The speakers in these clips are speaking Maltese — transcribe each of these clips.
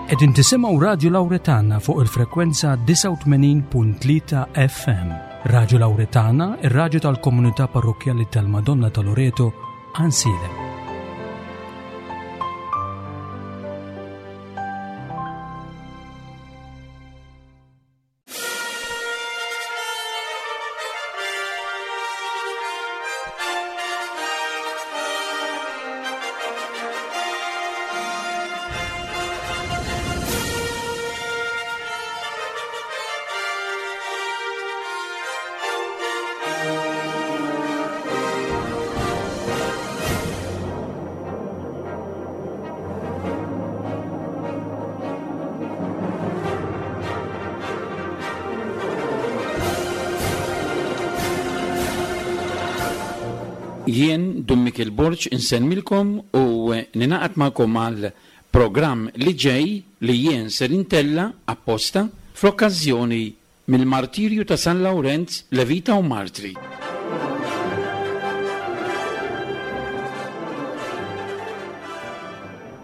Qegħdin tisimgħu Radju Lawretana fuq il-frekwenza 89.3 FM. Radju Lawretana, ir-radju tal-komunità parrokkjali tal-Madonna ta' Loreto, Għansielem. Jien Dun Mikiel Borg insellmilkom u ninaqad magħkom għal programm li ġej li jien ser intella' apposta fl-okkażjoni Mill-martirju ta' San Lawrenz, Levita u Martri.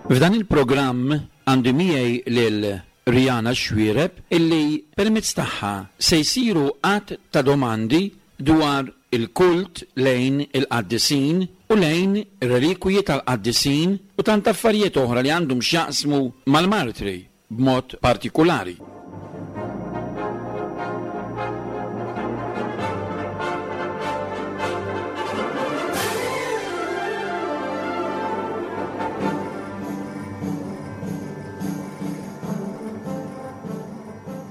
F'dan il-programm għandi miegħi lil Riana Xuereb illi permezz tagħha se jsiru għadd ta' domandi dwar il-kult lejn il-qaddisin u lejn ir-relikwiji tal-qaddisin u tant affarijiet oħra li għandhom x'jaqsmu mal-martri. b'mod partikulari.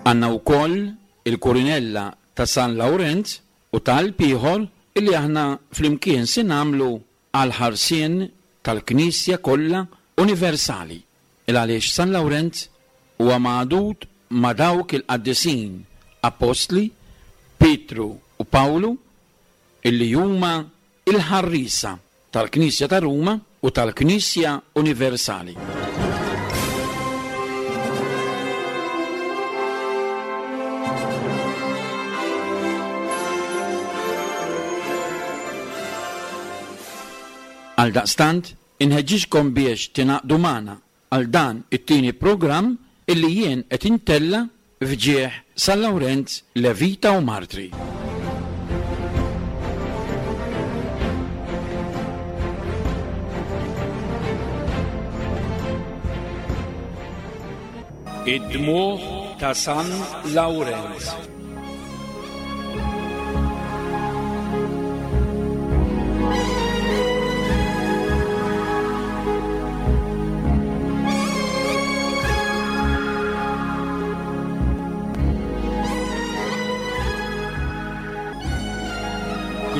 Għandna wkoll il-kurinella ta' San Lawrenz u talb ieħor illi aħna flimkien se nagħmlu għall-ħarsien tal-Knisja kollha universali, il għaliex San Lawrenz huwa magħdud ma' dawk il-qaddisin appostli Pietru u Pawlu illi huma l-ħarriesa tal-Knisja ta' Ruma u tal-Knisja universali. Għaldaqstant, inħeġġiġkom biex tingħaqdu magħna għal dan it-tieni programm illi jien qed intella' f'ġieħ San Lawrenz Levita u Martri. Id-dmugħ ta' San Lawrenz.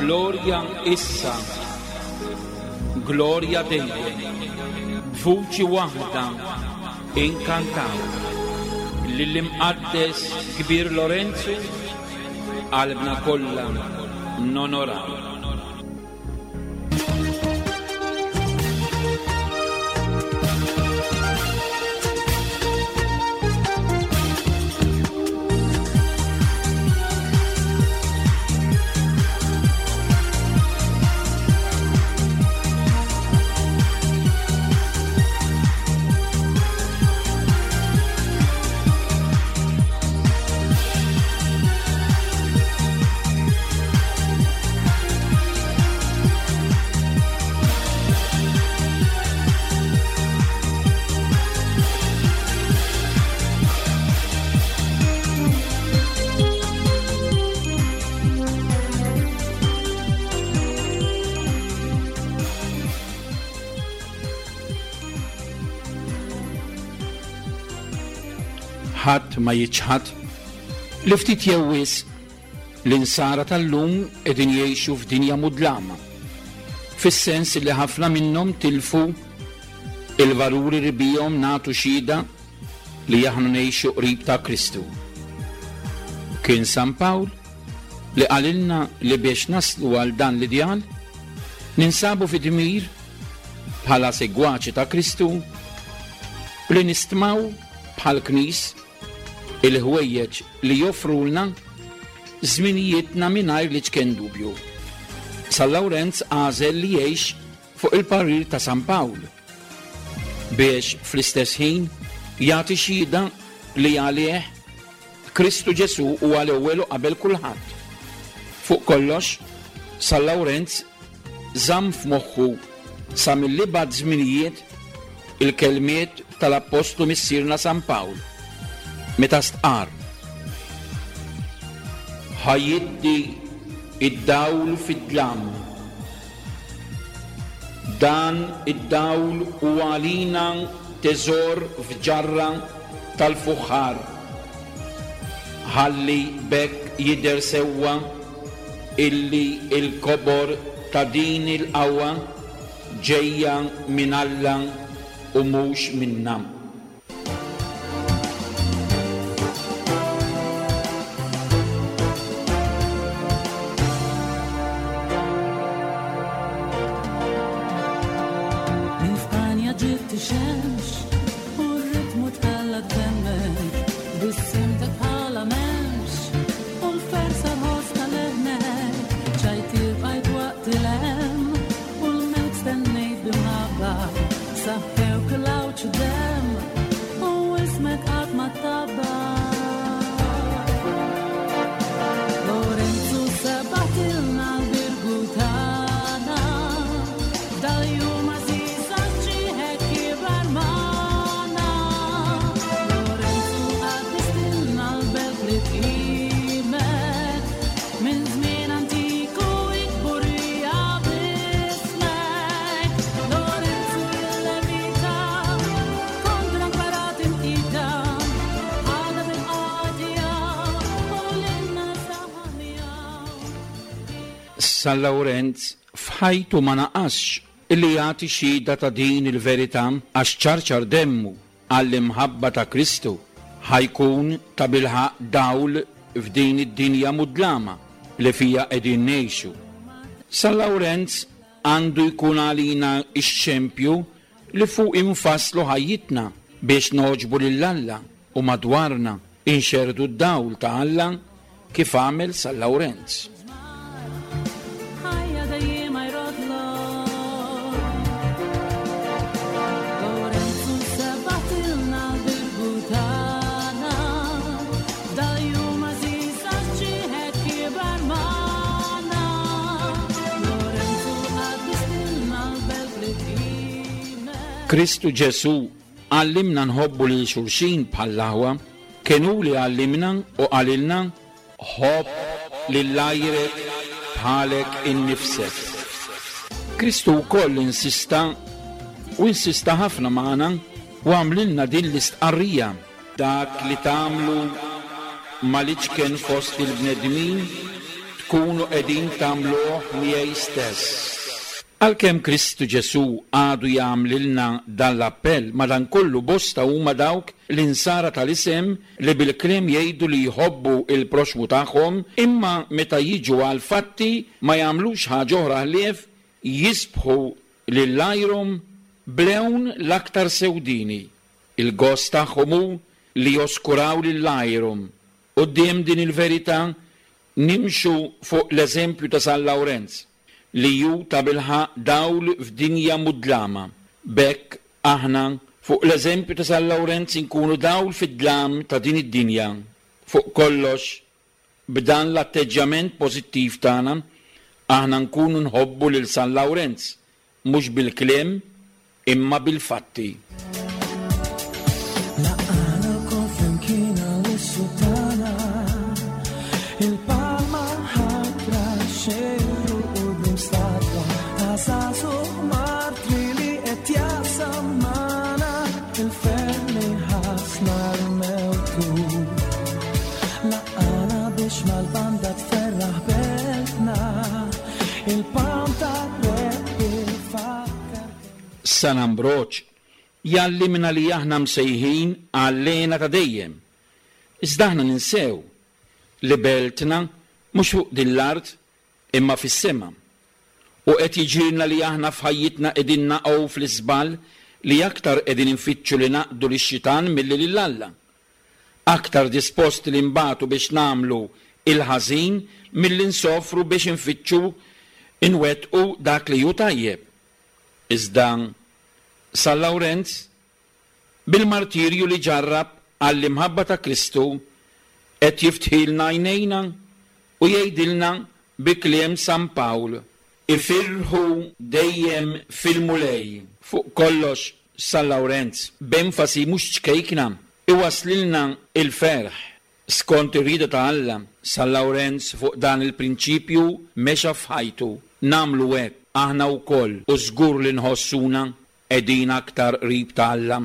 Glorja issa, glorja dejjem, b'vuċi waħda Inkantaw lill-Imqaddes Kbir Lorenzu, qalbna kollha nonoraw. Ħadd ma jiċħad li ftit jew wisq l-insara tal-lum qegħdin jgħixu f'dinja mudlama, fis-sens li ħafna minnhom tilfu il-valuri li bihom nagħtu xhieda li aħna ngħixu qrib ta' Kristu. Kien San Pawl li qalilna li biex naslu għal dan l-ideal ninsabu fi dmir bħala segwaċi ta' Kristu li nistmaw bħal knis il-ħwejjeġ li joffrulna żminijietna mingħajr li ċken dubju. San Lawrenz għażel li jgħix fuq il-parir ta' San Pawl biex fl-istess ħin jagħti xhieda li għalih Kristu Ġesù huwa l-ewwel u qabel kulħadd. Fuq kollox, San Lawrenz żamm f'moħħu sa mill-ibgħad żminijiet il-kelmiet tal-Appostlu Missierna San Pawl meta stqarr, Ħa jiddi d-dawl fid-dlam. Dan id-dawl hu għalina teżor f'ġarra tal-fuħħar, ħalli b'hekk jidher sewwa illi l-kobor ta' din il-qawwa ġejja minn Alla u mhux minna. Minn Spanja ġibt ix-xemx u r-ritmu tħallat b'demmek, tbissimtek bħala m'hemmx u l-fersa ħoss ta' leħnek, ċajtier bqajt waqt il-hemm u l-mewt stennejt b'imħabba, saffewk l-għawġ demm u ismek qatt ma tgħabba. Lorenzu sebatilna l-birgu tagħna, dal-jum għażiż għax ġieħek kiber magħna. Lorenzu qaddistilna l-belt li tqimek, minn żmien antik u kburija b'ismek. Lorenzu il-levita, kontra l-parat imqita, għadha bil-qadja u lilna saħamja. San Lawrenz f'ħajtu ma naqasx li jagħti xhieda ta' din il-verità għax ċarċar demmu għall-imħabba ta' Kristu ħa jkun tabilħaqq dawl f'din id-dinja mudlama li fiha qegħdin ngħixu. San Lawrenz għandu jkun għalina x-xempju li fuq infasslu ħajjitna biex nogħġbu lil Alla u madwarna inxerrdu d-dawl ta' Alla kif għamel San Lawrenz. Ħajja dejjiema jroddlok. Lorenzu sebatilna l-birgu tagħna, dal-jum għażiż għax ġieħek kiber magħna. Lorenzu qaddistilna l-belt li tqimek. Kristu Ġesù għallimna nħobbu lil xulxin bħall-aħwa. Kien hu li għallimna u qalilna, Ħobb lil għajrek bħalek innifsek. Kristu wkoll insista u insista ħafna magħna u għamlilna din l-istqarrija, Dak li tagħmlu mal-iċken fost il-bnedmin tkunu qegħdin tagħmluh miegħi stess. Għalkemm Kristu Ġesù għadu jagħmlilna dan l-appell, madankollu bosta huma dawk l-Insara tal-isem li bil-kliem jgħidu li jħobbu l-proxxmu tagħhom, imma meta jiġu għall-fatti ma jagħmlux ħaġa oħra ħlief jisbħu lil għajrhom b'lewn l-aktar sewdieni. Il-gost tagħhom hu li joskuraw lil għajrhom. Quddiem din il-verità nimxu fuq l-eżempju ta' San Lawrenz. li hu tabilħaqq dawl f'dinja mudlama. B'hekk aħna, fuq l-eżempju ta' San Lawrenz inkunu dawl fid-dlam ta' din id-dinja. Fuq kollox, b'dan l-atteġġjament pożittiv tagħna, aħna nkunu nħobbu lil San Lawrenz, mhux bil-kliem imma bil-fatti. Laqgħana lkoll flimkien għall-issu tagħna, il-palma ħadra xejru quddiem statwa ta' żagħżugħ martri li qed jaqsam magħna il-ferħ li ħass nhar mewtu. Laqgħana biex mal-banda tferraħ beltna, il-palm tar-rebbi fakkar San Ambroġ jgħallimna li aħna msejħin għall-hena ta' dejjem. Iżda aħna ninsew li beltna mhux fuq din l-art imma fis-sema. U qed jiġrilna li aħna f'ħajjitna qegħdin naqgħu fl-iżball li aktar qegħdin infittxu li naqdu lix-xitan milli lil Alla. Aktar disposti li nbatu biex nagħmlu l-ħażin milli nsofru biex infittxu nwettqu dak li hu tajjeb. Iżda San Lawrenz Bil-martirju li ġarrab għall-imħabba ta' Kristu qed jiftħilna għajnejna u jgħidilna bi kliem San Pawl, Ifirħu dejjem fil-Mulej. Fuq kollox San Lawrenz, b'enfasi mhux ċkejkna, iwasslilna l-ferħ skont ir-rieda ta' Alla. San Lawrenz fuq dan il-prinċipju mexa f'ħajtu. Nagħmlu hekk aħna wkoll u żgur li nħossuna qegħdin aktar qrib ta' Alla.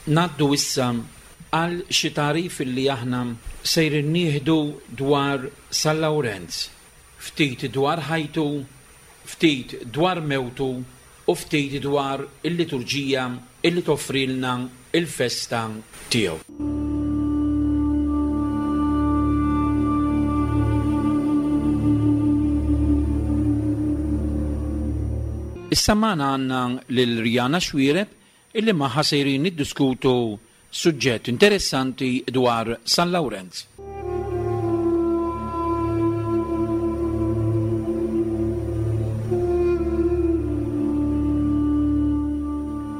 Ngħaddu issa għal xi tagħrif li aħna sejrin nieħdu dwar San Lawrenz, ftit dwar ħajtu, ftit dwar mewtu u ftit dwar il-liturġija li toffrilna l-festa tiegħu. Issa magħna għandna lil Riana Xuereb illi magħha sejrin niddiskutu suġġett interessanti dwar San Lawrenz.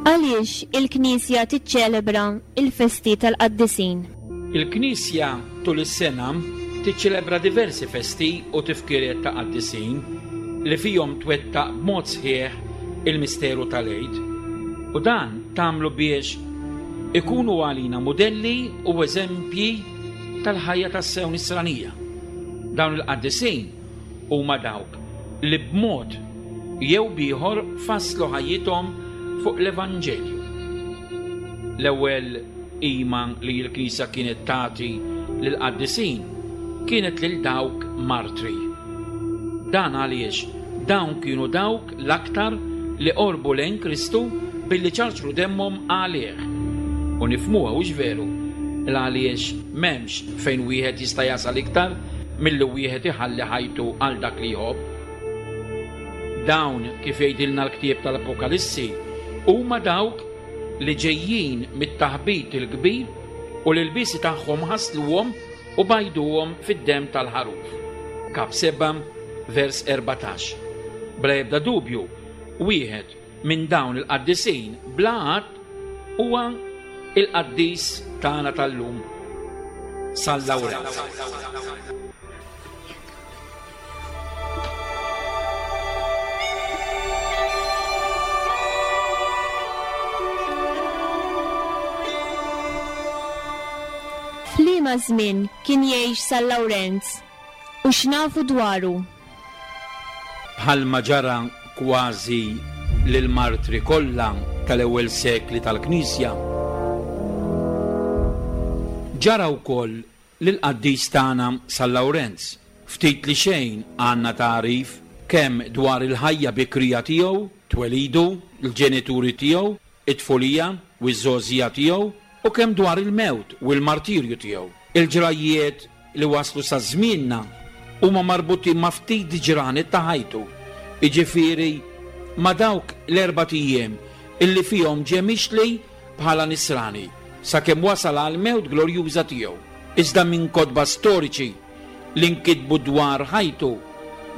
Għaliex il-Knisja tiċċelebra l-festi tal-qaddisin? Il-Knisja tul is-sena tiċċelebra diversi festi u tifkiriet ta' qaddisin li fihom twettaq b'mod sħiħ il-misteru tal-Għid, u dan tagħmlu biex ikunu għalina mudelli u eżempji tal-ħajja tassew nisranija. Dawn il-qaddisin huma dawk li b'mod jew b'ieħor fasslu ħajjithom fuq l-Evanġelju. L-ewwel qima li l-Knisja kienet tagħti lill-qaddisin kienet lil dawk martri. Dan għaliex dawn kienu dawk l-aktar li qorbu lejn Kristu billi ċarċru demmhom għalih. U nifhmuha, hux veru, l-għaliex m'hemmx fejn wieħed jista' jasal iktar milli wieħed iħalli ħajtu għal dak li jħobb. Dawn, kif jgħidilna l-ktieb tal-Apokalissi, huma dawk li ġejjin mit-taħbit il-kbir u li l-lbiesi tagħhom ħasluhom u bajduhom fid-demm tal-Ħaruf. Kap 7, vers 14. Bla ebda dubju, wieħed minn dawn il-qaddisin bla għadd huwa il-qaddis tagħna tal-lum, San Lawrenz. F'liema żmien kien jgħix San Lawrenz u x'nafu dwaru? Bħalma ġara kważi lill-martri kollha tal-ewwel sekli tal-Knisja, ġara wkoll Lill-qaddis tagħna San Lawrenz, ftit li xejn għandna tagħrif kemm dwar il-ħajja bikrija tiegħu, twelidu, l-ġenituri tiegħu, it-tfulija u ż-żgħożija tiegħu, u kemm dwar il-mewt u l-martirju tiegħu. Il-ġrajjiet li waslu sa żmienna huma marbutin ma' ftit ġranet ta' ħajtu, jiġifieri ma' dawk l-erbat ijiem illi fihom ġie mixli bħala Nisrani sakemm wasal għall-mewt glorjuża tiegħu. Iżda minn kotba storiċi li nkitbu dwar ħajtu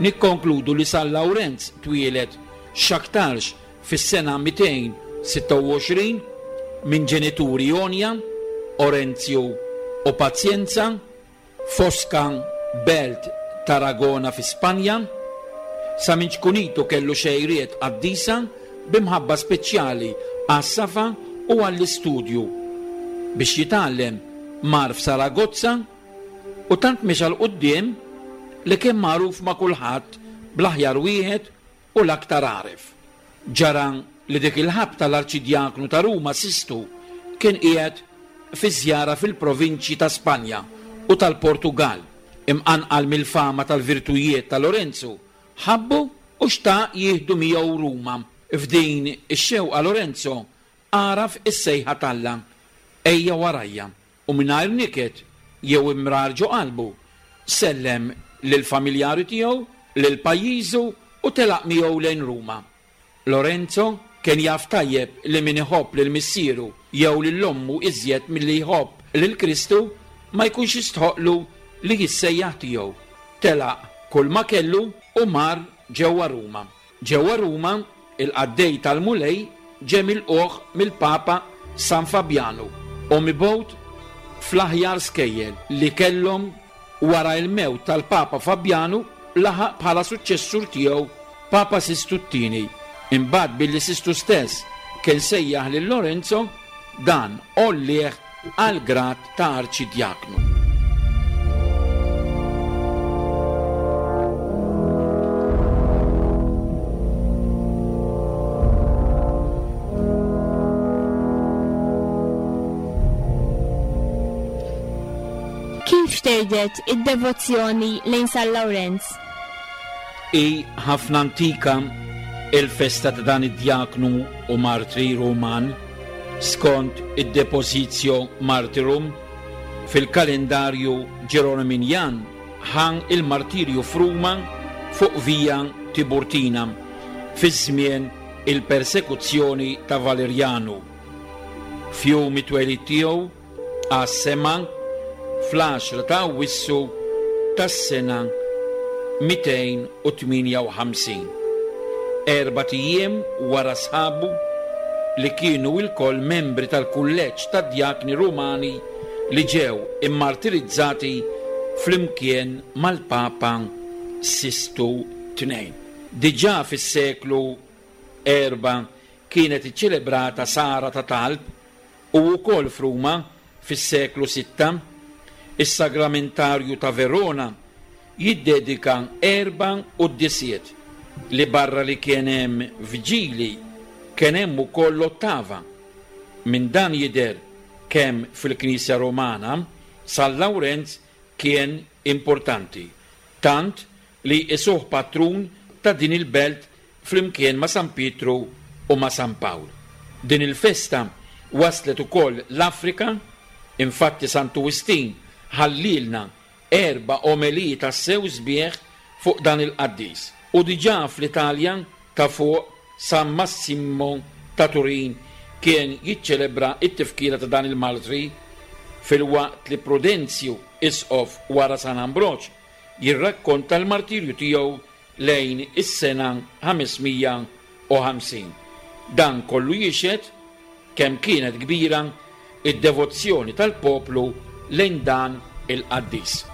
nikkonkludu li San Lawrenz twieled x'aktarx fis-sena 226 minn ġenituri għonja, Orenzju u Pazjenza, F'Osca, belt Tarragona fi Spanja, sa minn ċkunitu kellu xejriet qaddisa bi mħabba speċjali għas-safa u għall-istudju. Biex jitgħallem mar f'Saragozza u tant mexa 'l quddiem li kien magħruf ma' kulħadd bl-aħjar wieħed u l-aktar għaref. Ġara li dik il-ħabta l-Arċidjaknu ta' Ruma Sistu kien qiegħed fi żjara fil-provinċji ta' Spanja u tal-Portugall. Imqanqal mill-fama tal-virtujiet ta' Lorenzu, Ħabbu u xtaq jieħdu miegħu Ruma. F'din ix-xewqa Lorenzo għaraf is-sejħa t'Alla, Ejja warajja, u mingħajr niket jew imrar ġo qalbu, sellem lill-familjari tiegħu, lil pajjiżu u telaq miegħu lejn Ruma. Lorenzo kien jaf tajjeb li min iħobb lil missieru jew lil ommu iżjed milli jħobb lil Kristu ma jkunx jistħoqqlu li jissejjaħ tiegħu. Telaq kulma kellu u mar ġewwa Ruma. Ġewwa Ruma, il-qaddej tal-Mulej ġie milqugħ mill-Papa San Fabjanu u mibgħut fl-aħjar skejjel li kellhom Wara il-mewt tal-Papa Fabjanu laħaq bħala suċċessur tiegħu Papa Sistu t-Tieni. Imbagħad billi Sistu stess kien sejjaħ lil Lorenzo, dan għollieh għall-grad ta' arċidjaknu. Kif xterdet id-devozzjoni lejn San Lawrenz? Hi ħafna antika il-festa ta' dan id-djaknu u martri Ruman skont id-Depositio Martyrum fil-kalendarju Ġeroniminjan ħa il-martirju f'Ruma fuq Via Tiburtina fi żmien il-persekuzzjoni ta' Valerjanu. F'jum it-twelid tiegħu għas-sema fl-għaxra ta' Awwissu tas-sena 258, erbat ijiem wara sħabu li kienu ilkoll membri tal-kulleġġ tad-djakni Rumani li ġew immartirizzati flimkien mal-Papa Sistu ii. Diġà fis-seklu Erbgħa kienet iċċelebrata sahra ta' talb u wkoll f'Ruma fis-seklu sitta. Is-Sagramentarju ta' Verona jiddedika erbgħa quddisiet li barra li kien hemm vġili kien hemm ukoll ottava. Minn dan jidher kemm fil-Knisja Rumana San Lawrenz kien importanti, tant li jqisuh patrun ta' din il-belt flimkien ma' San Pietru u ma' San Pawl. Din il-festa waslet ukoll l-Afrika, infatti Santu Wistin ħallielna erba' omeliji tassew sbieħ fuq dan il-qaddis. U diġà fl-Italja ta' fuq San Massimo ta' Turin kien jiċċelebra t-tifkira ta' dan il-martri, filwaqt li Prudenzju, isqof wara San Ambroġ, jirrakkonta l-martirju tiegħu lejn is-sena 550. Dan kollu jixhed kemm kienet kbira d-devozzjoni tal-poplu lejn dan il-qaddis.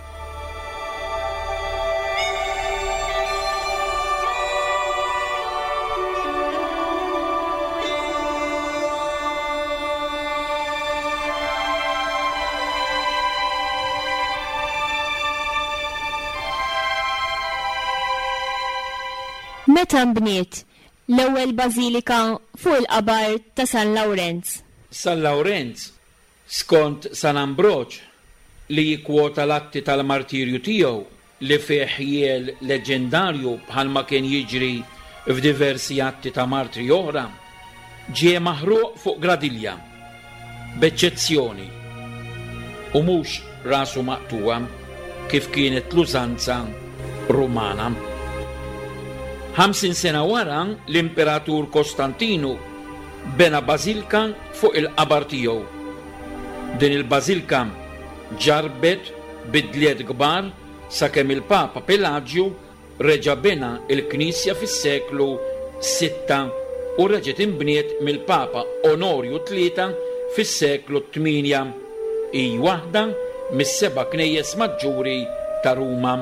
Meta nbniet l-ewwel bażilika fuq il-qabar ta' San Lawrenz? San Lawrenz, skont San Ambroġ, li jikkwota l-atti tal-martirju tiegħu li fih ħjiel leġġendarju bħalma kien jiġri f'diversi atti ta' martri oħra, ġie maħruq fuq gradilja, b'eċċezzjoni, u mhux rasu maqtugħa kif kienet l-użanza Rumana. 50 sena wara l-Imperatur Kostantinu bena bażilka fuq il-qabar tiegħu. Din il-bażilka ġarrbet bidliet kbar sakemm il-Papa Pelaġju reġa' bena l-knisja fis-seklu sitta u reġgħet inbniet mill-Papa Onorju Tlieta fis-seklu tmienja. Hi waħda mis-seba' knejjes maġġuri ta' Ruma.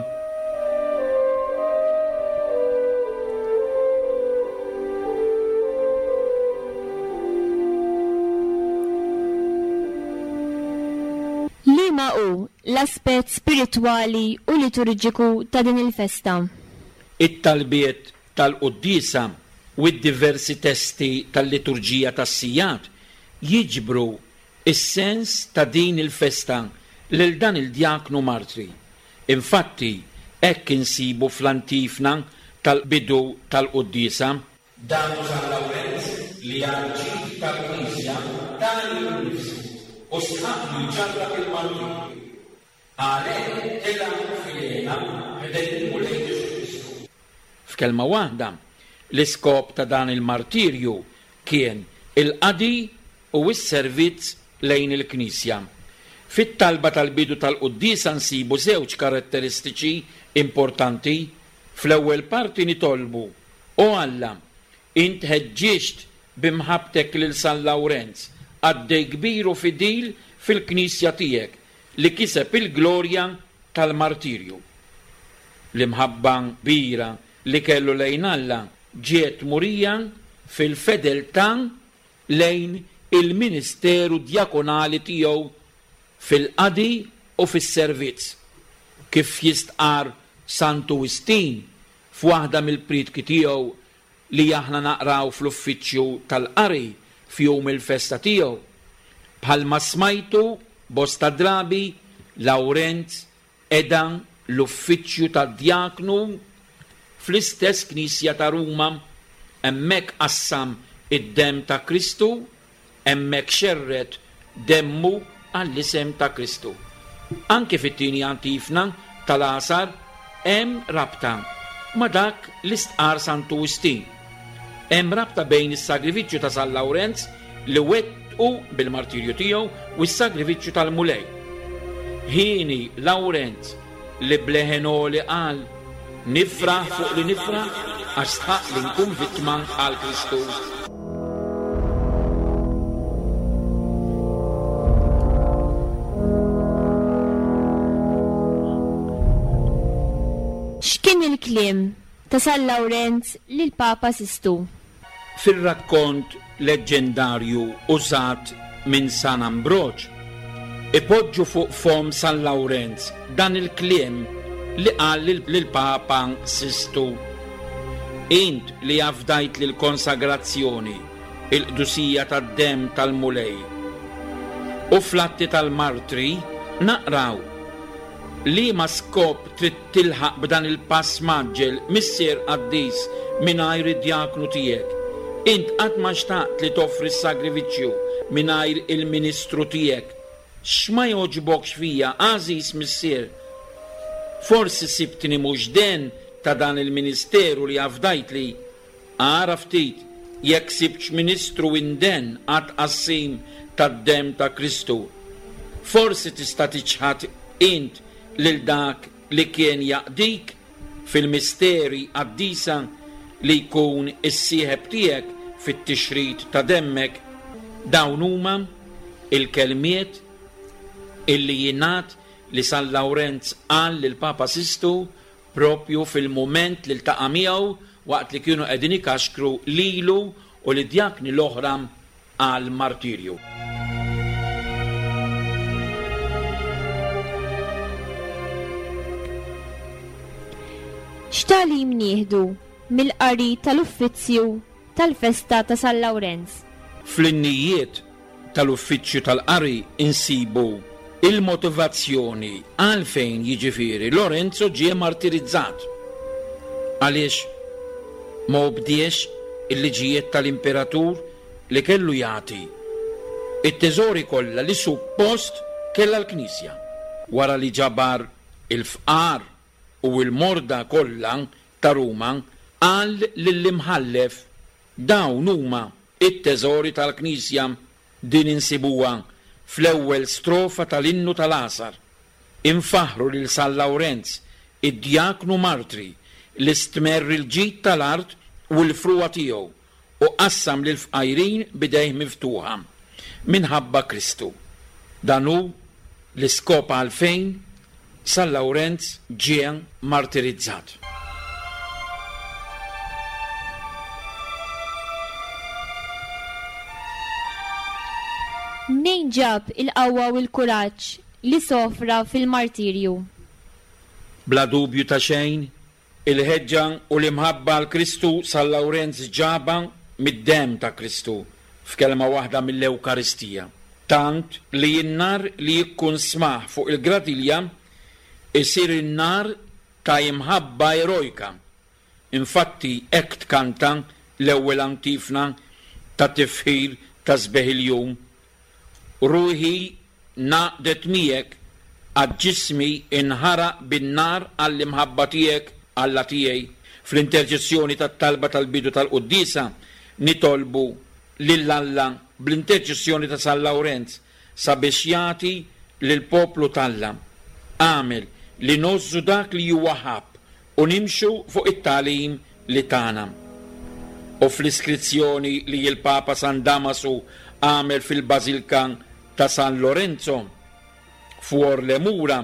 Liema hu l-aspett spiritwali u liturġiku ta' din il-festa? It-talbiet tal-quddiesa u d-diversi testi tal-liturġija tas-sigħat jiġbru s-sens ta' din il-festa lil dan il-djaknu martri. Infatti, hekk insibu fl-antifna tal-bidu tal-quddiesa. Dan hu San Lawrenz li għall-ġid tal-Knisja ta lilu nnifsu u stħaqqlu jġarrab il-martirju. Għalhekk tela' fil-hena ħdejn il-Mulej Ġesù Kristu. F'kelma waħda, l-iskop ta' dan il-martirju kien il-qadi u s-servizz lejn il-Knisja. Fit-talba tal-bidu tal-quddiesa nsibu żewġ karatteristiċi importanti. Fl-ewwel parti nitolbu, O Alla, int ħeġġiġt bi mħabbtek lil San Lawrenz, qaddej kbir u fidil fil-Knisja tiegħek, li kiseb il-glorja tal-martirju. L-imħabba kbira li kellu lejn Alla ġiet murija fil-fedeltà lejn il-ministeru djakonali tiegħu fil-qadi u fis-servizz, kif jistqarr Santu Wistin f'waħda mill-priedki tiegħu li aħna naqraw fl-uffiċċju tal-qari f'jum il-festa tiegħu. Bħalma smajtu bosta drabi, Lawrenz qeda l-uffiċċju tad-djaknu fl-istess knisja ta' Ruma. Hemmhekk qassam id-demm ta' Kristu Hemmhekk xerred demmu għall-isem ta' Kristu. Anki fit-tieni antifna tal-Għasar hemm rabta ma' dak li stqarr Santu Wistin. Hemm rabta bejn is-sagrifiċċju ta' San Lawrenz li wettqu bil-martirju tiegħu u s-sagrifiċċju tal-Mulej. Hieni Lawrenz li b'leħen għoli qal, Nifraħ fuq li nifraħ għax stħaqq li nkun vittma għal Kristu. X'kien il-kliem ta' San Lawrenz lill-Papa Sistu? Fir-rakkont leġġendarju użat minn San Ambroġ, ipoġġu fuq fomm San Lawrenz dan il-kliem li qal lill-Papa Sistu, Int li afdajtli l-konsagrazzjoni, il-qdusija tad-demm tal-Mulej. U fl-Atti tal-Martri naqraw, Liema skop trid tilħaq b'dan il-pass mgħaġġel, Missier qaddis, mingħajr id-djaknu tiegħek? Int qatt ma xtaqt li toffri s-sagrifiċċju mingħajr il-ministru tiegħek. X'ma jogħġbokx fija, għażiż Missier? Forsi sibtni mhux den ta' dan il-ministeru li afdajtli? Ara ftit jekk sibtx ministru indenn għat-tqassim tad-demm ta' Kristu. Forsi tista' tiċħad int lil dak li kien jaqdik fil-misteri qaddisa li jkun is-sieħeb tiegħek fit-tixrid ta' demmek. Dawn huma l-kelmiet illi jingħad li San Lawrenz qal lill-Papa Sistu proprju fil-mument li ltaqa' miegħu waqt li kienu qegħdin ikaxkru lilu u lid-djakni l-oħra għall-martirju. X'tagħlim nieħdu mill-qari tal-Uffizzju tal-festa ta' San Lawrenz? Fl-innijiet tal-uffiċċju tal-qari nsibu l-motivazzjoni għalfejn jiġifieri Lorenzo ġie martirizzat. Għaliex ma obdiex il-liġijiet tal-imperatur li kellu jagħti t-teżori kollha li suppost kellha l-Knisja. Wara li ġabar il-fqar u l-morda kollha ta' Ruma, qal lill-imħallef, Dawn huma t-teżori tal-Knisja. Din insibuha fl-ewwel strofa tal-Innu tal-Għasar. Infaħħru lil San Lawrenz, id-djaknu martri li stmerr il-ġid tal-art u l-frugħa tiegħu u qassam lill-fqajrin b'idejh miftuħa, minħabba Kristu. Dan hu l-iskop għalfejn San Lawrenz ġie martirizzat. Mnejn ġab il-qawwa u l-kuraġġ li sofra fil-martirju? Bla dubju ta' xejn, il-ħeġġa u l-imħabba għal Kristu San Lawrenz ġabha mid-demm ta' Kristu, f'kelma waħda mill-Ewkaristija. Tant li n-nar li jikkunsmah fuq il-gradilja jsir in-nar ta' imħabba erojka. Infatti hekk tkanta l-ewwel antifna ta' tifħir ta' sbieħ il-jum, Ruħi ngħaqdet miegħek għad ġismi nħaraq bin-nar għall-imħabba tiegħek, Alla tiegħi. Fl-interċessjoni tat-talba tal-bidu tal-quddiesa nitolbu lil Alla bl-interċessjoni ta' San Lawrenz sabiex jagħti lill-poplu t'Alla għamel li ngħożżu dak li huwa ħabb u nimxu fuq it-tagħlim li tana. U fl-iskrizzjoni li l-Papa San Damasu għamel fil-Bażilka ta' San Lorenzo, f'Uorle Mura,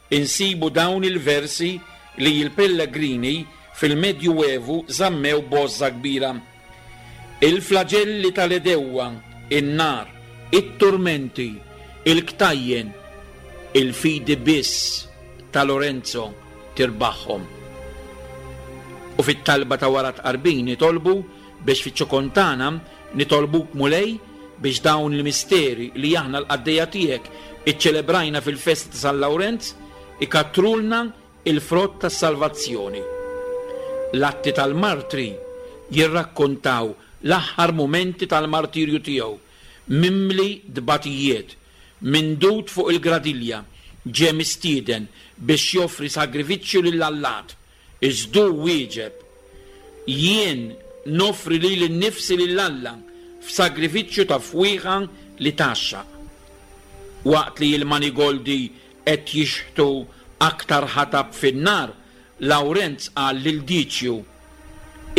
insibu dawn il-versi li l-pellegrini fil-Medjuevu żammew b'għożża kbira, Il-flaġelli tal-għedewwa, in-nar, it-turmenti, il-ktajjen, il-fidi biss ta' Lorenzo tirbaħhom. U fit-talba ta' wara t-tqarbin nitolbu biex fiċ-ċokon tagħna nitolbuk Mulej biex dawn il-misteri li aħna l-qaddejja tiegħek iċċelebrajna fil-festa ta' San Lawrenz ikattrulna il-frott tas-salvazzjoni. L-Atti tal-Martri jirrakkontaw l-aħħar mumenti tal-martirju tiegħu, mimli tbatijiet, mindud fuq il-gradilja, ġie mistieden biex joffri sagrifiċċju lill-allat, iżda hu wieġeb, Jien noffri lili nnifsi lil Alla f'sagrifiċċju ta' fwieħa li tgħaxxaq. Waqt li l-manigoldi qed jixħtu aktar ħatab fin-nar, Lawrenz qal lil Diċju,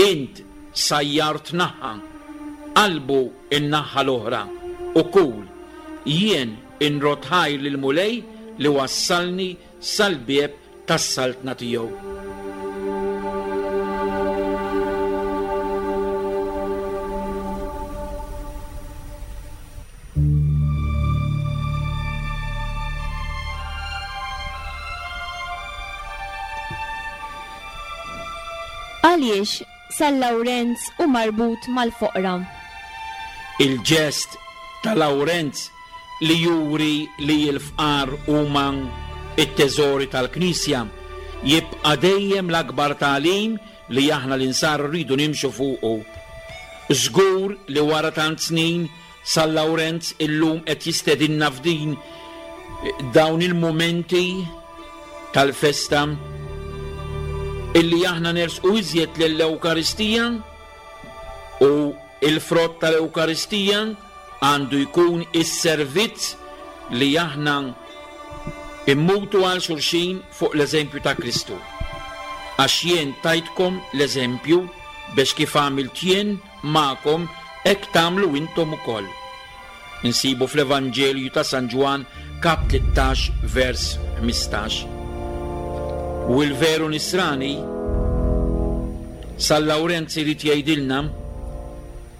Int sajjart naħa, qalbu n-naħa l-oħra, u kul. Jien inrodd ħajr lill-Mulej li wassalni sal-bieb tas-saltna tiegħu. Għaliex San Lawrenz hu marbut mal-foqra? Il-ġest ta' Lawrenz li juri li l-fqar huma t-teżori tal-Knisja jibqa' dejjem l-akbar tagħlim li aħna l-Insara rridu nimxu fuqu. Żgur li wara tant snin, San Lawrenz illum qed jistedinna f'din dawn il-mumenti tal-festa illi aħna nersqu iżjed lill-Ewkaristija u l-frott tal-Ewkaristija għandu jkun is-servizz li aħna mmutu għal xulxin fuq l-eżempju ta' Kristu. Għax jien tajtkom l-eżempju biex kif għamilt jien magħkom hekk tagħmlu intom ukoll. Insibu fl-Evanġelju ta' San Ġwann kap 13 vers 15. U l-veru nisrani San Lawrenz irid jgħidilna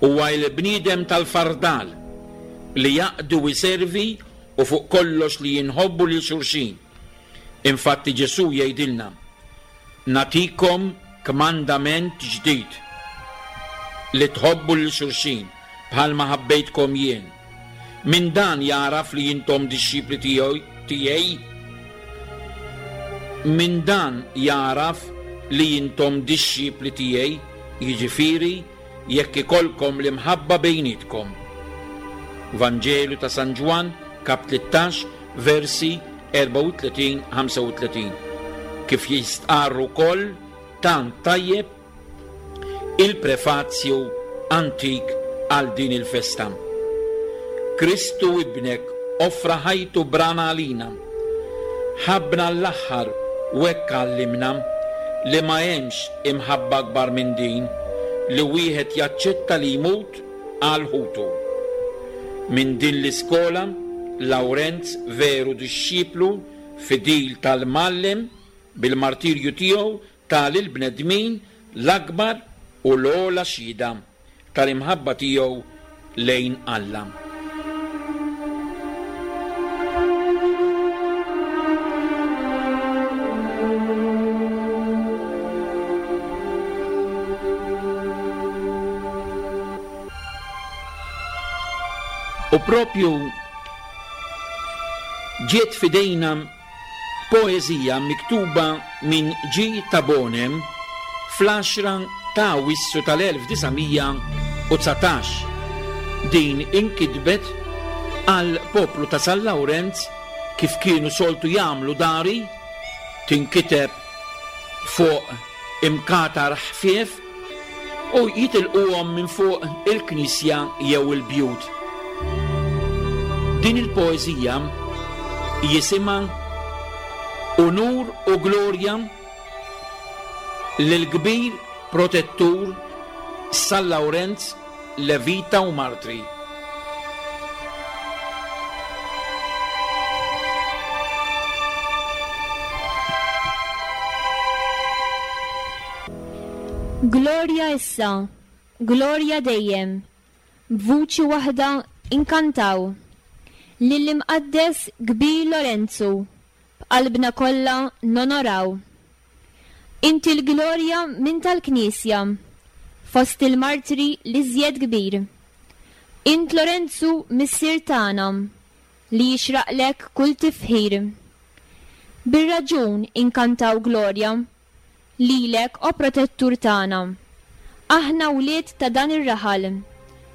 Huwa il-bniedem tal-fardal li jaqdi u jservi u fuq kollox li inħobbu lil xulxin. Infatti Ġesù jgħidilna, Nagħtikom kmandament ġdid, li tħobbu lil xulxin bħalma ħabbejtkom jien. Min dan jagħraf li intom dixxipli tiegħi? Min dan jagħraf li intom dixxipli tiegħi, jiġifieri jekk ikollkom l-imħabba bejnietkom. Vanġelu ta' San Ġwann, kap 13, versi 34, 35. Kif jistqarr ukoll tant tajjeb il-prefazju antik għal din il-festa. Kristu Ibnek offra ħajtu b'rana għalina. Ħabbna għall-aħħar u hekk għallimna li ma hemmx imħabba akbar minn din, li wieħed jaċċetta li jmut għal ħutu. Minn din l-iskola, Lawrenz veru dixxiplu fidil tal-Mgħallem, bil-martirju tiegħu ta lill-bnedmin l-akbar u l-ogħla xhieda tal-imħabba tiegħu lejn Alla. U propju ġiet f'idejna Poeżija miktuba minn G. Tabone fl-għaxra ta' Awwissu tal-1919. Din inkitbet għall-poplu ta' San Lawrenz kif kienu soltu jagħmlu dari, tinkiteb fuq imkatar ħfief u jitilquhom minn fuq il-knisja jew il-bjut. Din il-poeżija jisimha Unur u Glorja lill-kbir protettur San Lawrenz Levita u Martri. Glorja issa, glorja dejjem, b'vuċi waħda inkantaw, Lill-Imqaddes kbir Lorenzu, b'qalbna kollha nonoraw. Inti l-glorja minn tal-Knisja, fost il-martri l-iżjed kbir. Int Lorenzu missier tagħna, li jixraqlek kull tifħir. Bir-raġun inkantaw glorja Lilek, o Protettur tagħna. Aħna wlied ta' dan ir-raħal,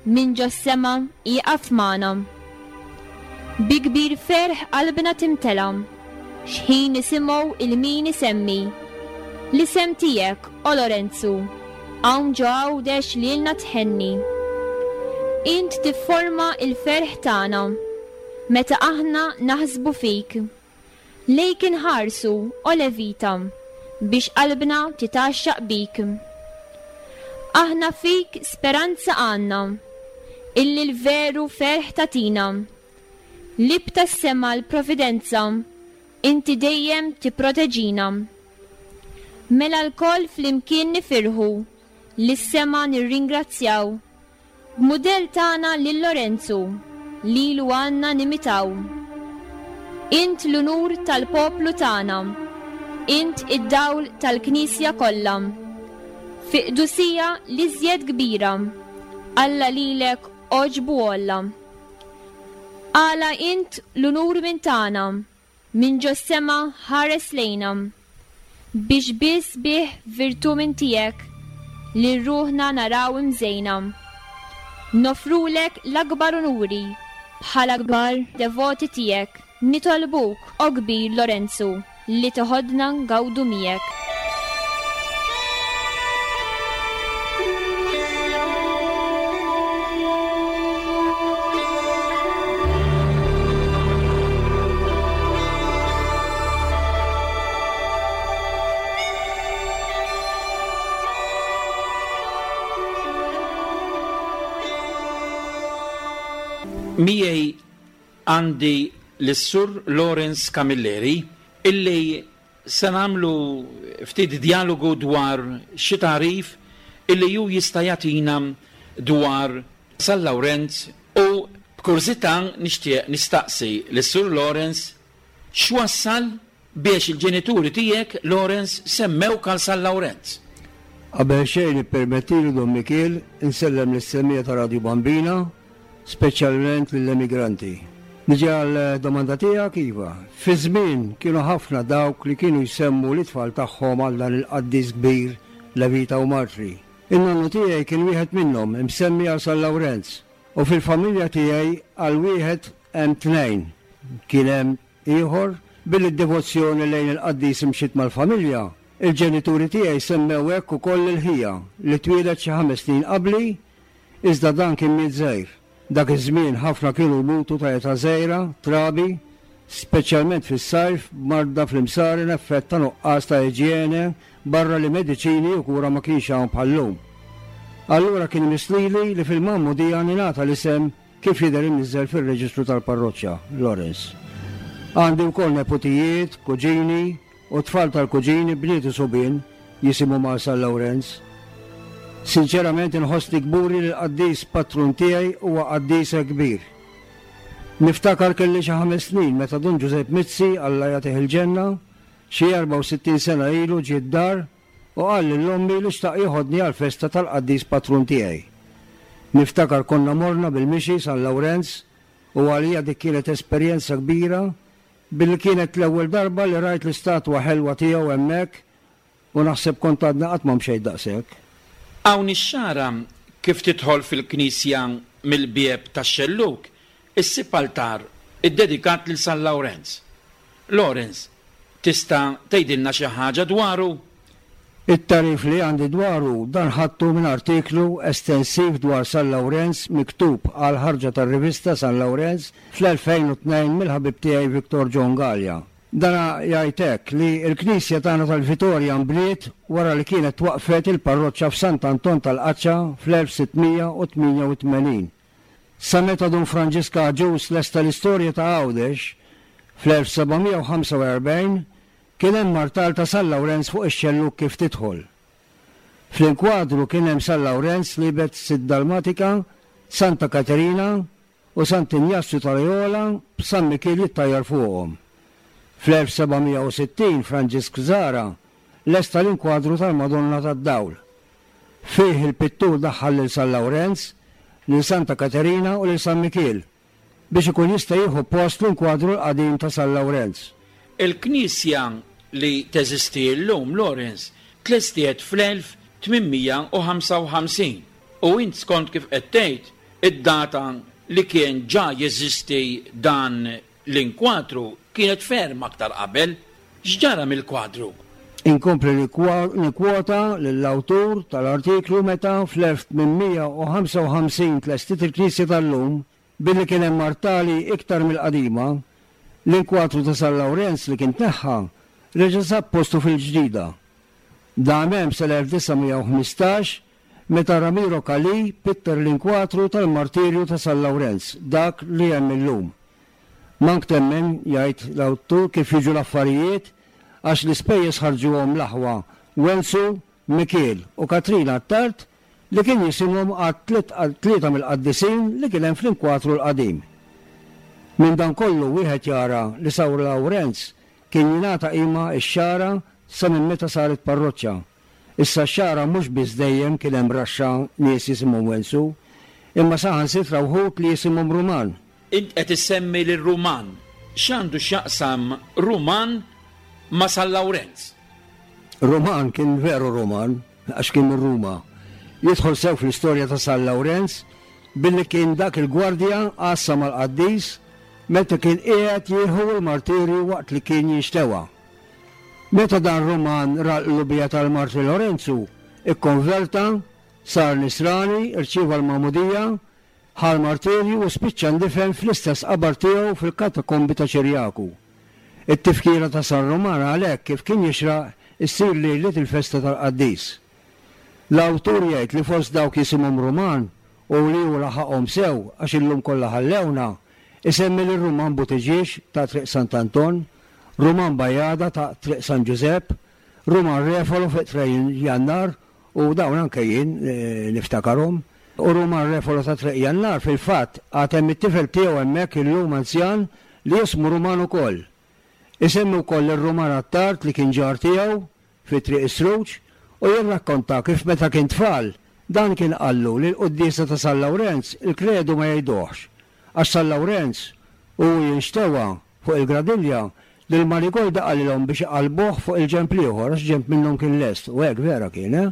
minn ġos-sema ieqaf magħna. Bi kbir ferħ qalbna timtela, x'ħin nisimgħu 'l min isemmi l-isem tiegħek, o Lorenzu, hawn ġo Għawdex lilna tħenni. Int tifforma l-ferħ tagħna, meta aħna naħsbu fik. Lejk inħarsu, o Levita, biex qalbna titgħaxxaq bik. Aħna fik speranza għandna, illi l-veru ferħ tagħtina. L-ieb tas-sema l-providenza, inti dejjem tipproteġina. Mela lkoll flimkien nifirħu, lis-sema nirringrazzjaw. B'mudell tagħna lil Lorenzu, lilu għandna nimitaw. Int l-unur tal-poplu tagħna, int id-dawl tal-Knisja kollha. Fi qdusija l-iżjed kbira, Alla lilek għoġbu għolla. Għala int l-unur minn tagħna, Minn ġos-sema ħares lejna. Biex biss bih virtù minn tiegħek lil ruħna naraw imżejna. Noffrulek l-akbar unuri bħala kbar devoti tiegħek. Nitolbuk, o kbir Lorenzu, li teħodna ngawdu miegħek. Miegħi għandi lis-Sur Lawrence Camilleri illi Se nagħmlu ftit djalogu dwar xi tagħrif illi hu jista' jagħtina dwar San Lawrenz u b'kurżità nixtieq nistaqsi lis-Sur Lawrence x'wassal biex il-ġenituri tiegħek, Lawrence, semmewk għal San Lawrenz? Qabel xejn ippermettili Dun Mikiel insellem lis-semmiegħa ta' Radju Bambina speċjalment lill-emigranti. Niġi għall-domanda tiegħek, iva. Fiż-żmien kienu ħafna dawk li kienu jsemmu lit-tfal tagħhom għal dan il-qaddis kbir Levita u Martri. In-nonnu tiegħi kien wieħed minnhom, imsemmi għal San Lawrenz. U fil-familja tiegħi għal wieħed hemm tnejn. Kien hemm ieħor, billi d-devozzjoni lejn il-qaddis imxiet mal-familja, il-ġenituri tiegħi semmew hekk ukoll lil ħija li twieled xi ħames snin qabli Iżda dan kien miet żgħir. Dak iż-żmien ħafna kienu jmutu ta' età żgħira, trabi, speċjalment fis-sajf b'marda fl-imsaren effett ta' nuqqas ta' iġjene barra li mediċini u kura ma kienx hawn bħal-lum. Allura kien imiss lili li fil-magħmudija ningħata l-isem kif jidher imniżżel fir-reġistru tal-parroċċa, Lawrence. Għandi wkoll neputijiet, kuġini, U t-tfal tal-kuġini, bniet u subien, jisimhom għal San Lawrenz. Sinċerament inħossni kburi li l-qaddis patrun tiegħi huwa qaddis hekk kbir. Niftakar kelli xi ħames snin meta Dun Ġużepp Mizzi, Alla jagħtih il-ġenna, xi 64 sena ilu ġie d-dar u qal lil ommi li xtaq jeħodni għall-festa tal-qaddis patrun tiegħi. Niftakar konna morna bil-mixi San Lawrenz u għalija dik kienet esperjenza kbira Billi kienet l-ewwel darba li rajt l-istatwa ħelwa tiegħu hemmhekk. U naħseb kont għadni qatt ma mxejt daqshekk. Hawn ix-Xagħra kif tidħol fil-knisja mill-bieb tax-xellug issib altar iddedikat lil San Lawrenz. Lawrence, tista' tgħidilna xi ħaġa dwaru? It-tagħrif li għandi dwaru dan ħadtu minn artiklu estensiv dwar San Lawrenz miktub għall-ħarġa tar-rivista San Lawrenz fl-2002 mill-ħabib tiegħi Victor John Galea. Dan jgħid hekk li l-knisja tagħna tal-Vitorja nbniet wara li kienet twaqqfet il-parroċċa f'Sant'Anton tal-Qaċċa fl-1688. Sa meta Dun Franġisk Agius lesta l-istorja ta' Għawdex fl-1745 kien hemm artal ta' San Lawrenz fuq ix-xellug kif tidħol. Fl-inkwadru kien hemm San Lawrenz liebet Sitt Dalmatika, Santa Katerina, u Sant'Injazju ta' Loyola b'San Mikiel jittajjar fuqhom. Fl-1760 Franġisk Zahra lesta l-inkwadru tal-Madonna tad-Dawl. Fih il-pittur daħħal lil San Lawrenz, lil Santa Katerina u lil San Mikiel biex ikun jista' jieħu post l-inkwadru l-qadim ta' San Lawrenz. Il-knisja li teżisti llum, Lawrence, tlestiet fl-1855 u int skont kif qed tgħid Id-data li kien ġa jeżisti dan l-inkwadru kienet ferm aktar qabel. X'ġara mill-kwadru? Inkompli nikkwota lill-awtur tal-artiklu meta fl-1855 tlestiet il-knisja tal-lum, billi kien hemm artali iktar mill-qadima, l-inkwadru ta' San Lawrenz li kien tneħħa reġa' sab postu fil-ġdida. Dam hemm sal-1915 Meta Ramiro Calì pitter l-inkwatru tal-martirju ta' San Lawrenz, dak li hemm illum. Mank temmen, jgħid l-awtur, kif jiġu l-affarijiet, għax l-ispejjeż ħarġuhom l-aħwa Wenzu, Mikiel u Katrina Attard li kien jisimhom għat-tlieta mill-qaddisin li kien hemm fl-inkwatru l-qadim. Minn dan kollu wieħed jara li San Lawrenz kien jingħata qima x-Xagħra sa minn meta saret parroċċa. Issa x-Xagħra mhux biss dejjem kien hemm raxxa nies jisimhom Wenzu, imma saħansitra wħud li jisimhom Ruman. Int qed issemmi lil Ruman. X'għandu x'jaqsam Ruman ma' San Lawrenz? Ruman kien veru Ruman, għax kien minn Ruma. Jidħol sew fl-istorja ta' San Lawrenz billi kien dak il-gwardja għassa mal-qaddis meta kien qiegħed jieħu l-martirju waqt li kien jinxtewa. Meta dan Ruman ra l-qlubija tal-martri Lorenzu, ikkonverta, sar Nisrani, irċieva l-magħmudija, ħa l-martirju u spiċċa ndifen fl-istess qabar tiegħu fil-katakombi ta' Ċirjaku. It-tifkira ta' San Ruman għalhekk kif kien jixraq issir lejliet il-festa tal-qaddis. L-awtur jgħid li fost dawk jisimhom Ruman u li hu laħaqhom sew għax illum kollha ħallewna, isemmi lil Ruman Buttigieg ta' Triq Sant'Anton, Ruman Bajada ta' Triq San Ġużepp, Ruman Refolo fuq Triq Jannar u dawn anke jien niftakarhom. U Ruman Refolo ta' Triq Jannar fil-fatt għad hemm it-tifel tiegħu hemmhekk illum anzjan li jismu Ruman ukoll. Isemmi wkoll lil Ruman Attard li kien ġar tiegħu fi Triq is-Sruġ u jirrakkonta kif meta kien tfal dan kien qallu li l-quddiesa ta' San Lawrenz il-kredu ma jgħiduhx għax San Lawrenz u hu jinxtewa fuq il-gradilja lil Marigolda qalilhom biex iqallbuh fuq il-ġenb l-ieħor għax ġenb minnhom kien lest u hekk vera kien, eh?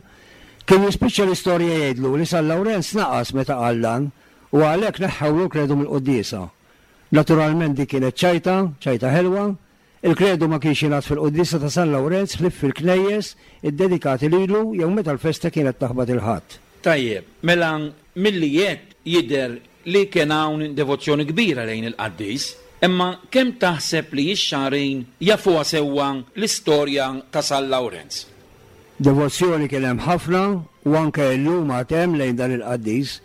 Kien jispiċċa l-istorja jgħidlu li San Lawrenz naqas meta qal dan u għalhekk neħħewlu l-kredu mill-quddiesa. Naturalment din kienet ċajta, ċajta ħelwa, Il-Kredu ma kienx jingħad fil-quddiesa ta' San Lawrenz ħlief fil-knejjes iddedikati lilu jew meta l-festa kienet taħbat il-Ħadd. Tajjeb, mela milli għedt jidher li kien hawn devozzjoni kbira lejn il-qaddis. Imma kemm taħseb li x-Xagħrin jafuha sewwa l-istorja ta' San Lawrenz? Devozzjoni kien hemm ħafna u anke illum għad hemm lejn dan il-qaddis.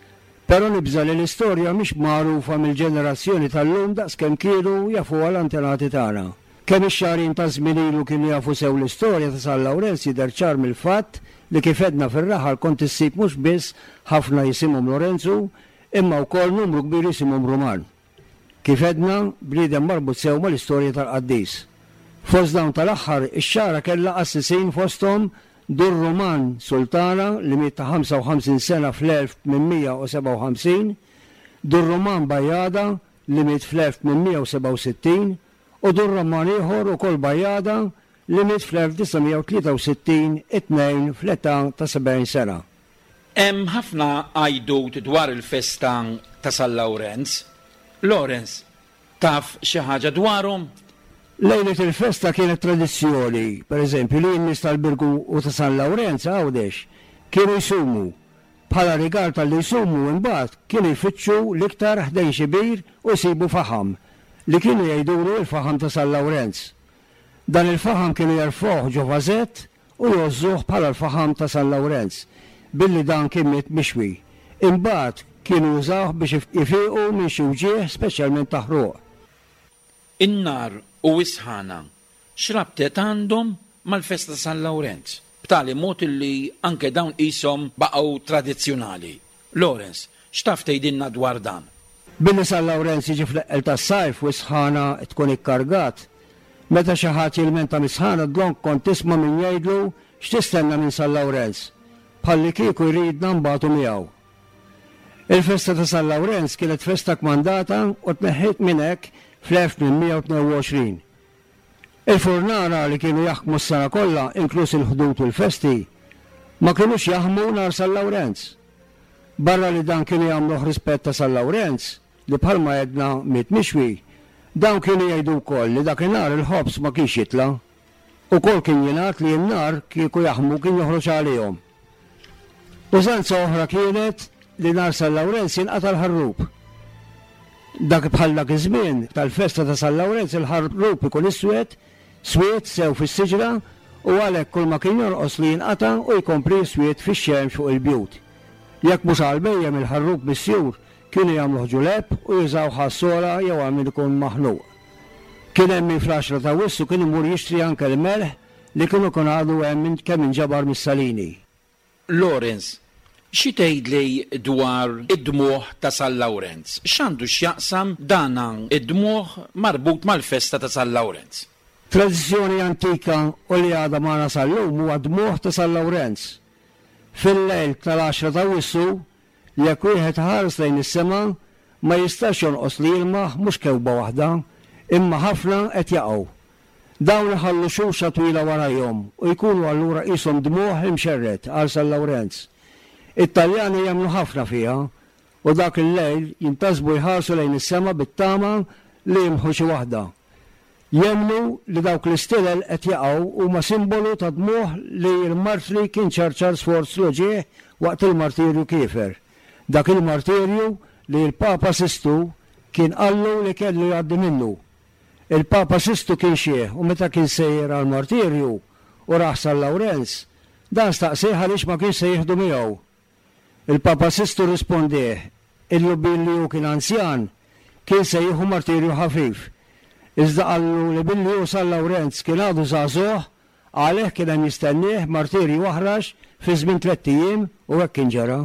Però nibża' li l-istorja mhix magħrufa mill-ġenerazzjoni tal-lum daqs kemm kienu jafuha l-antenati tagħna. Kemm ix-Xagħrin ta' żmien ilu kienu jafu sew l-istorja ta' San Lawrenz jidher ċar mill-fatt li kif għedna fir-raħal kont issib mhux biss ħafna jisimhom Lorenzu imma wkoll numru kbir jisimhom Ruman. Kif għedna, bniedem marbut sew mal-istorja tal-qaddis. Fost dawn tal-aħħar, ix-Xagħra kellha qassisin fosthom Dun Ruman Sultana li miet ta' 55 sena fl-1857, Dun Ruman Bajada li miet fl-1867 u Dun Roman ieħor ukoll Bajada. li miet fl-1963 it-Tnejn fl-età ta' 70 sena. Hemm ħafna għajdut dwar il-festa ta' San Lawrenz. Lawrence, taf xi ħaġa dwarhom? Lejliet il-festa kienet tradizzjoni, per eżempju, li n-nies tal-Birgu u ta' San Lawrenz, Għawdex, kienu jsumu. Bħala rigal talli jsumu, imbagħad, kienu jfittxu l-iktar ħdejn xi bir u jsibu faħam, li kienu jgħidulu l-faħam ta' San Lawrenz. Dan il-faħam kienu jerfgħuh ġo vażett u jgħożżuh bħala l-faħam ta' San Lawrenz, billi dan kien miet mixwi. Imbagħad kienu jużawh biex ifiqu minn xi wġigħ speċjalment ta' ħruq. In-nar u s-sħana x'rabtet għandhom mal-festa ta' San Lawrenz, b'tali mod illi anke dawn qishom baqgħu tradizzjonali? Lawrence, x'taf tgħidilna dwar dan? Billi San Lawrenz jiġi fl-eqqel tas-sajf u s-sħana tkun ikkargat, meta xi ħadd jilmenta mis-sħana dlonk kont tisma' min jgħidlu x'tistenna minn San Lawrenz, bħallikieku jridna nbatu miegħu. Il-festa ta' San Lawrenz kienet festa kmandata u tneħħiet minn hekk fl-1822. Il-furnara li kienu jaħkmu s-sena kollha, inkluż il-Ħdud u l-festi, ma kinux jaħmu nhar San Lawrenz. Barra li dan kienu jagħmluh rispett ta' San Lawrenz, li bħalma għedna miet mixwi, dawn kienu jgħidu wkoll li dakinhar il-ħobż ma kienx jitla'. Ukoll kien jingħad li n-nar kieku jaħmu kien joħroġ għalihom. Użanza oħra kienet li nhar San Lawrenz jinqata' l-ħarrub. Dak bħal dak iż-żmien tal-festa ta' San Lawrenz il-ħarrub ikun iswed, swied sew fis-siġra u għalhekk kull ma kien jonqos li jinqata' u jkompli jiswied fix-xemx fuq il-bjut. Jekk mhux għall-bhejjem il-ħarrub misjur kienu jagħmluh ġulepp u jużawh għas-sogħla jew għal min ikun maħnuq. Kien hemm min fl-għaxra t'Awwissu kien imur jixtri anke l-melħ li kien ikun għadu hemm minn kemm inġabar mis-salini. Lawrence, xi tgħidli dwar id-dmugħ ta' San Lawrenz? X'għandu x'jaqsam dan id-dmugħ marbut mal-festa ta' San Lawrenz? Tradizzjoni antika u li għadha magħna sal-lum huwa d-dmugħ ta' San Lawrenz. Fil-lejl tal-għaxra t'Awwissu, jekk wieħed iħares lejn is-sema, ma jistax jonqos li jilmaħ mhux kewkba waħda, imma ħafna qed jaqgħu. Dawn iħallu xuxa twila warajhom u jkunu allura qishom dmugħ imxerred għal San Lawrenz. It-Taljani jemmnu ħafna fiha u dak il-lejl jintasbu jħarsu lejn is-sema bit-tama li jilmħu xi waħda. Jemmnu li dawk l-istilel qed jaqgħu huma simbolu ta' dmugħ li l-martri kien ċarċar sforz l-uġigħ waqt il-martirju kiefer. Dak il-martirju li l-Papa Sistu kien qallu li kellu jgħaddi minnu. Il-Papa Sistu kien xiħ u meta kien sejjer għall-martirju u rah San Lawrenz, dan staqsieh għaliex ma kienx se jieħdu miegħu. Il-Papa Sistu rrispondieh illu billi hu kien anzjan, kien se jieħu martirju ħafif. Iżda qallu li billi hu San Lawrenz kien għadu żagħżugħ, għalih kien hemm jistennieh martirju aħrax fi żmien tlett ijiem u hekk kien ġara.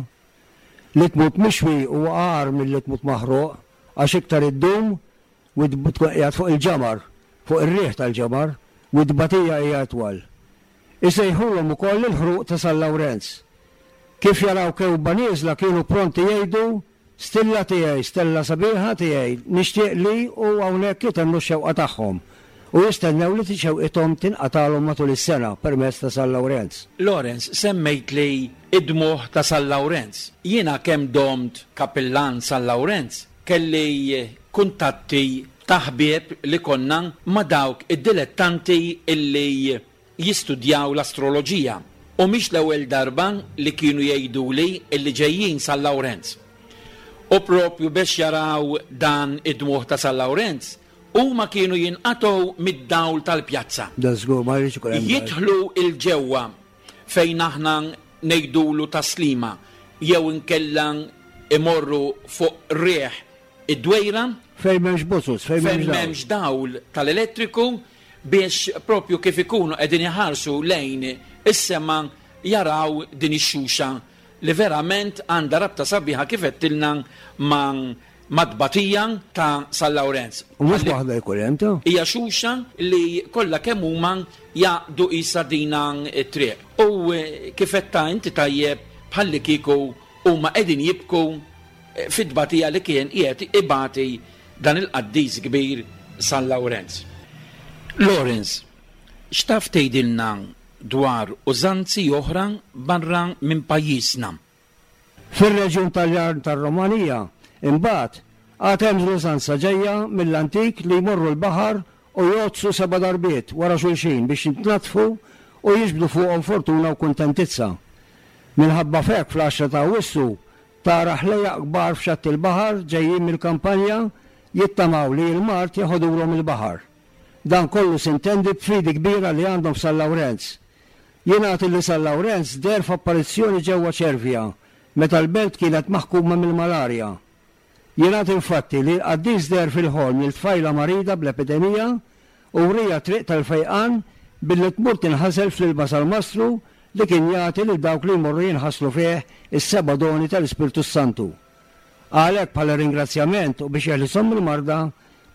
Li tmut mixwi huwa agħar milli tmut maħruq għax iktar iddum u tkun qiegħed fuq il-ġamar, fuq ir-riħ tal-ġamar, u t-tbatija hija itwal. Isejħulhom ukoll il-ħruq ta' San Lawrenz. Kif jaraw kewkba nieżla kienu pronti jgħidu, Stilla tiegħi, stella sabiħa tiegħi, nixtieq li u hawnhekk itennu x-xewqa tagħhom u jistennew li xewqithom tinqatgħalhom matul is-sena permezz ta' San Lawrenz. Lawrence, semmejtli d-dmugħ ta' San Lawrenz. Jiena kemm domt kapillan San Lawrenz, Kelli kuntatti ta' ħbieb li konna ma' dawk id-dilettanti li jistudjaw l-astroloġija u mhix l-ewwel darba li kienu jgħiduli li ġejjin San Lawrenz. U propju bex jaraw dan id-dmugħ ta' San Lawrenz, huma kienu jinqatgħu mid-dawl tal-pjazza. Dan żgur ma jridx ikun hemm dawl. Jidħlu 'l ġewwa fejn aħna ngħidulu taslima jew inkella imorru fuq riħ id-dwejra. Fejn m'hemmx bozoz, fejn m'hemmx dawl. Fejn m'hemmx dawl tal-elettriku biex propju kif ikunu qegħdin iħarsu lejn is-sema jaraw din ix-xuxa li verament għandha rabta sabiħa kif għedtilna ma' mat-tbatija ta' San Lawrenz. U mhux waħda jkun hemm ta'. Hija xuxa li kollha kemm huma jgħaqqdu qisha dina t-triq. U kif għedtha inti tajjeb bħallikieku huma qegħdin jibku fit-tbatija li kien qiegħed ibati dan il-qaddis kbir San Lawrenz. Lawrence. X'taf tgħidilna dwar użanzi oħra barra minn pajjiżna? Fir-reġjun Taljan tar-Romanija, imbagħad, għad hemm l-użanza ġejja mill-antik li jmorru l-baħar u jgħoddsu seba' darbiet wara xulxin biex jitnaddfu u jiġbdu fuqhom fortuna u kuntentizza. Minħabba f'hekk fl-għaxra ta' Awwissu tara ħlejjaq kbar f'xatt il-baħar ġejjin mill-kampanja jittamaw li l-mard jeħodulhom il-baħar. Dan kollu sintendi b'fidi kbira li għandhom f'San Lawrenz. Jingħad illi San Lawrenz deher f'apparizzjoni ġewwa Ċervja meta l-belt kienet maħkuma mill-malarja. Jingħad infatti li l-qaddis deher fil-ħolm lil tfajla marida bl-epidemija u wriha t-triq tal-fejqan billi tmur tinħasel fl-ilma salmastru li kien jagħti lil dawk li jmorru jinħaslu fih is-seba' doni tal-Ispirtu s-Santu. Għalhekk bħala ringrazzjament u biex jeħlishom mill-marda,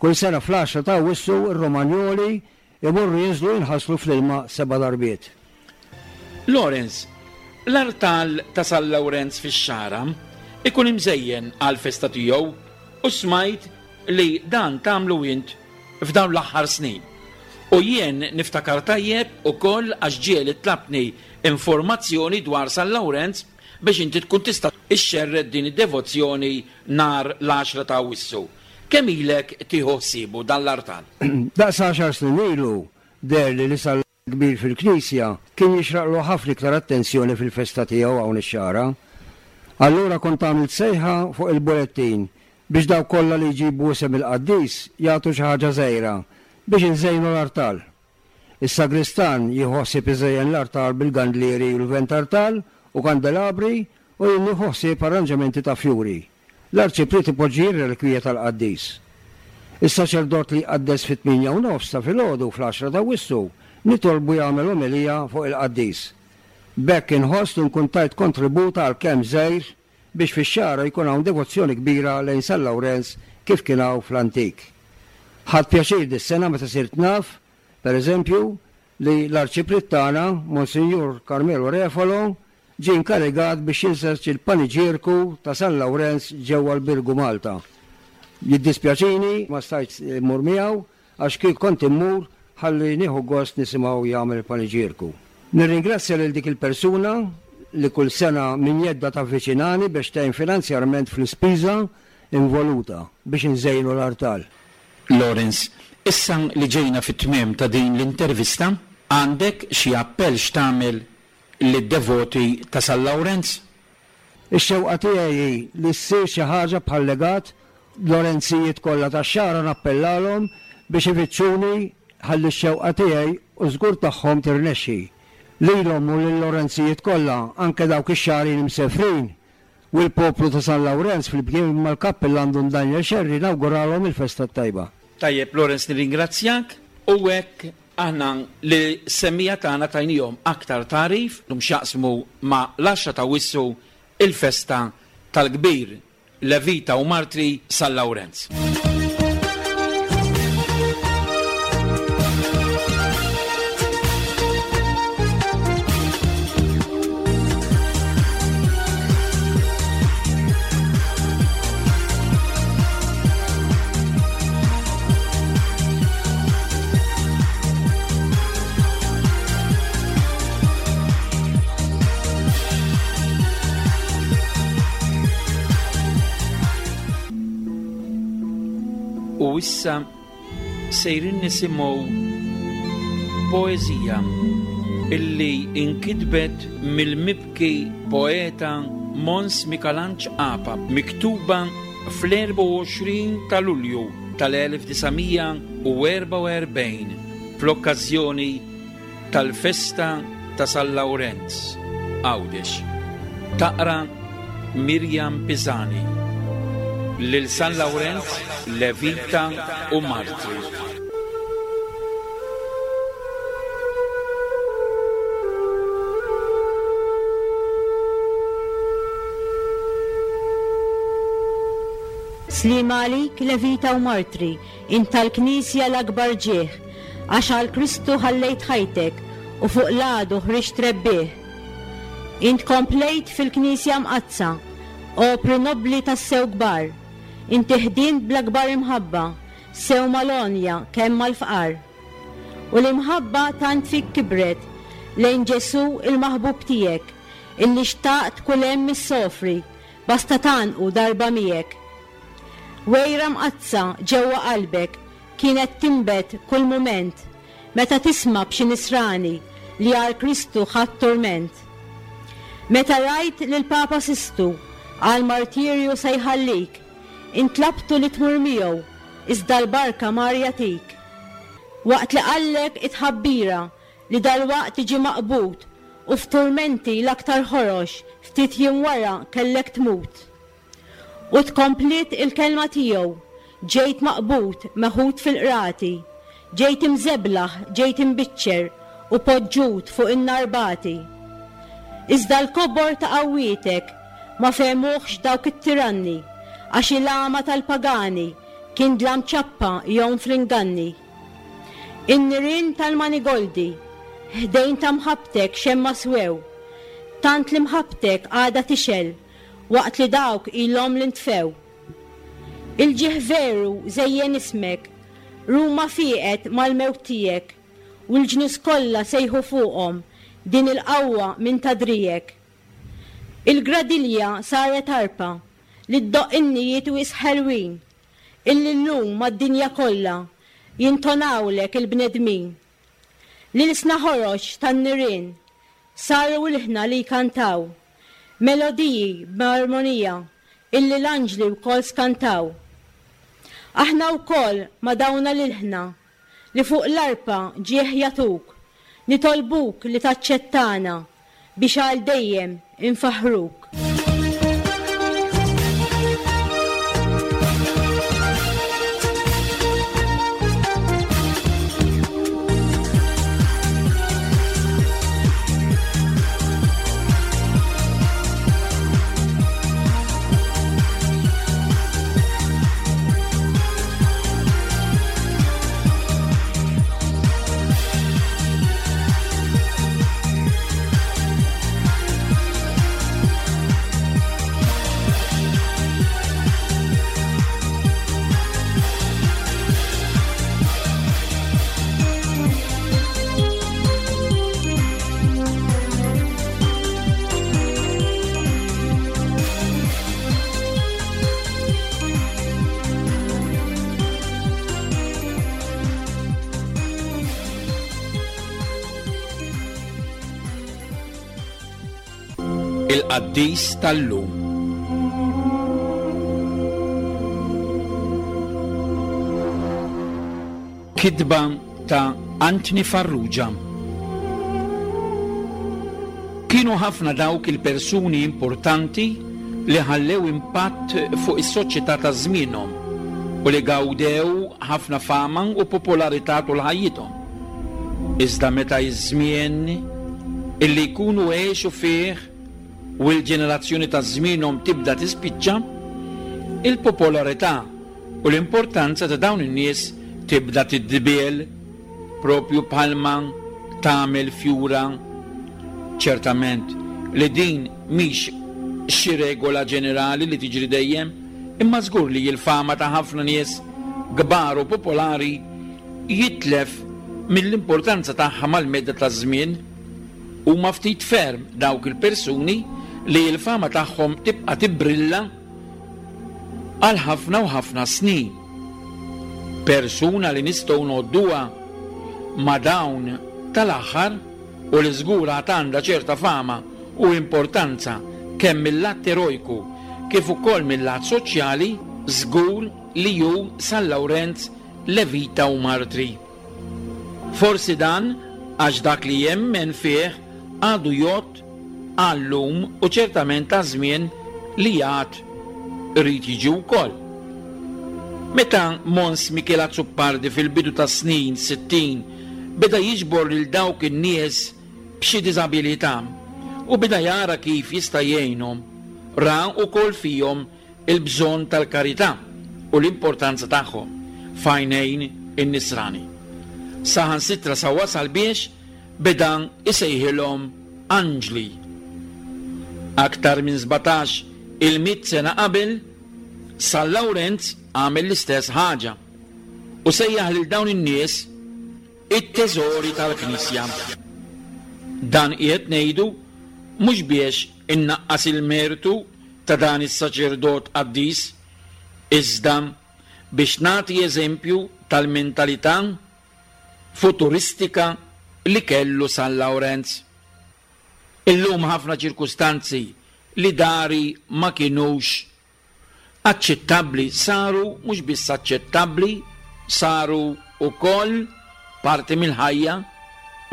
kull sena fl-għaxra ta' Awwissu r-Romanjoli Imorru jinżlu jinħaslu fl-ilma seba' darbiet. Lawrence, L-artal ta' San Lawrenz fix-Xagħra ikun imżejjen għall-festa tiegħu u smajt li dan tagħmlu int f'dawn l-aħħar snin. U jien niftakar tajjeb ukoll għax ġieli tlabtni informazzjoni dwar San Lawrenz biex inti tkun tista' ixxerred din id-devozzjoni nhar l-għaxra ta' Awwissu. Kemm ilek tieħu ħsiebu dan l-artal? Daqs għaxar snin ilu, deherli li San Kbir fil-Knisja kien jixraqlu ħafna iktar attenzjoni fil-festa tiegħu hawn ix-Xagħra. Allura kont għamilt sejħa fuq il-bulettin biex dawk kollha li jġibu isem il-qaddis jagħtu xi ħaġa żgħira biex inżejnu l-artal. Is-sagristan jieħu ħsieb iżejjen l-artal bil-gandlieri u l-ventartal u kandelabri u jien nieħu ħsieb arranġamenti ta' fjuri. L-arċipriet ipoġġi r-relikwija tal-qaddis. Is-saċerdot li jqaddes fit-tmienja u nofs ta' filgħodu fl-għaxra t'Awwissu nitolbu jagħmel omelija fuq il-qaddis. B'hekk inħoss li nkun tajt kontribut għalkemm żgħir biex fix-Xagħra jkun hawn devozzjoni kbira lejn San Lawrenz kif kien hawn fl-antik. Ħadt pjaċir dis-sena meta sirt naf, per eżempju, li l-Arċipriet tagħna, Monsinjur Carmelo Refalo, ġie inkarigat biex jinseġ il-paniġierku ta' San Lawrenz ġewwa l-Birgu Malta. Jiddispjaċini ma stajtx immur miegħu għax kieku kont immur ħalli nieħu gost nisimgħu jagħmel il-paniġierku. Nirringrazzja lil dik il-persuna li kull sena minn jeddha tavviċinani biex tgħin finanzjarment fl-ispiża involuta biex inżejnu l-artal. Lawrence, issa li ġejna fit-tmiem ta' din l-intervista, għandek xi appell x'tagħmel lid-devoti ta' San Lawrenz? Ix-xewqa tiegħi hi li ssir xi ħaġa bħal legat, Lorenzijiet kollha tax-Xagħra nappellalhom biex ifittxuni ħalli x-xewqa tiegħi u żgur tagħhom tirnexxi. Lilhom u lil-Lorenzijiet kollha, anke dawk ix-Xagħrin imsefrin, u l-poplu ta' San Lawrenz flimkien mal-Kappillan Dun Daniel Scerri nawguralhom il-festa t-tajba. Tajjeb Lawrence nirringrazzjak u hekk aħna lis-semmiegħa tagħna tajnihom aktar tagħrif x'jaqsmu ma' l-għaxra t'Awwissu il-festa tal-kbir Levita u Martri San Lawrenz. U issa sejrin nisimgħu poeżija illi inkitbet mill-mibki poeta Mons Mikalanġ Apa, miktuba fl-24 ta' Lulju tal-1944 fl-okkażjoni tal-festa ta' San Lawrenz, Għawdex. Taqra Miriam Pisani. Lil San Lawrenz, Levita u Martri. Sliema għalik Levita u Martri, int tal-Knisja l-akbar ġieħ, għax għal Kristu ħallejt ħajtek u fuq l-għadu ħriġt rebbieħ. Int komplejt fil-Knisja Mqaddsa, opri nobbli tassew kbar, inti ħdimt bl-akbar imħabba, sew mal-għonja kemm mal-fqar. U l-imħabba tant fik kibret lejn Ġesù il-maħbub tiegħek, illi xtaqt kull hemm issofri, basta tgħannqu darba miegħek. Għira mqaddsa ġewwa qalbek kienet tinbet kull mument meta tisma' b'xi nisrani li għal Kristu ħa t-turment. Meta rajt lill-Papa Sistu għall-martirju se jħallik, intlabtu li tmur miegħu, iżda l-barka mar jagħtik. Waqt li qallek it-tħabbira li dalwaqt tiġi maqbud u f'turmenti l-aktar ħorox ftit jiem wara kellek tmut. U tkompliet il-kelma tiegħu, Ġejt maqbud, meħud fil-qrati, ġejt imżeblaħ, ġejt imbiċċer u poġġut fuq in-nar bati. Iżda l-kobor ta' qawwietek ma fehmuhx dawk it-tiranni, għax il-għama tal-pagani kien dlam ċappa jgħum fl-inganni. In-nirien tal-manigoldi ħdejn ta' mħabbtek xemma swew, tant li mħabbtek għadha tixgħel waqt li dawk ilhom li ntfew. Il-ġieħ veru żejjen ismek, Ruma fieqet mal-mewt tiegħek, u l-ġnus kollha sejħu fuqhom din il-qawwa minn ta' driegħek. Il-gradilja saret arpa li ddoqq innijiet wisq ħelwin, illi llum mad-dinja kollha jintonawlek il-bnedmin. L-ilsna ħorox tan-nirien saru ilħna li jkantaw melodiji b'armonija illi l-anġli wkoll skantaw. Aħna wkoll ma' dawna l-ilħna li fuq l-arpa ġieħ jagħtuk, nitolbuk li taċċettana biex għal dejjem infaħħruk. Il-qaddis tal-lum. Kitba ta' Anthony Farrugia. Kienu ħafna dawk il-persuni importanti li ħallew impatt fuq is-soċjetà ta' żmienhom u li gawdew ħafna fama u popolarità tul ħajjithom. Iżda meta ż-żmien illi jkunu għexu fih u l-ġenerazzjoni ta' żmienhom tibda tispiċċa, il-popolarità u l-importanza ta' dawn in-nies tibda tidbiel propju bħalma tagħmel fjura. Ċertament li din mhix xi regola ġenerali li tiġri dejjem, imma żgur li l-fama ta' ħafna nies kbar u popolari jitlef mill-importanza tagħha mal-medda taż-żmien. Huma ftit ferm dawk il-persuni li l-fama tagħhom tibqa' tibbrilla għal ħafna u ħafna snin. Persuna li nistgħu ngħodduha ma' dawn tal-aħħar u li żgur għad għandha ċerta fama u importanza kemm mil-lat erojku kif ukoll mil-lat soċjali żgur li hu San Lawrenz Levita u Martri. Forsi dan għax dak li jemmen fih għadu jgħodd għal-lum u ċertament għaż-żmien li għad irid jiġi wkoll. Meta Mons Mikiel Azzopardi fil-bidu tas-snin 60 beda jiġbor lil dawk in-nies b'xi diżabilità u beda jara kif jista' jgħinhom, ra wkoll fihom il-bżonn tal-karità u l-importanza tagħhom f'għajnejn in-Nisrani. Saħansitra sa wasal biex beda jsejħilhom anġli. Aktar minn 17 il-mitt sena qabel, San Lawrenz għamel l-istess ħaġa u sejjaħ lil dawn in-nies. it-teżori tal-Knisja. Dan qiegħed ngħidu mhux biex innaqqas il-mertu ta' dan is-saċerdot qaddis, iżda biex nagħti eżempju tal-mentalità futuristika li kellu San Lawrenz. Illum ħafna ċirkustanzi li dari ma kinux aċċettabbli saru mhux biss aċċettabbli, saru wkoll parti mill-ħajja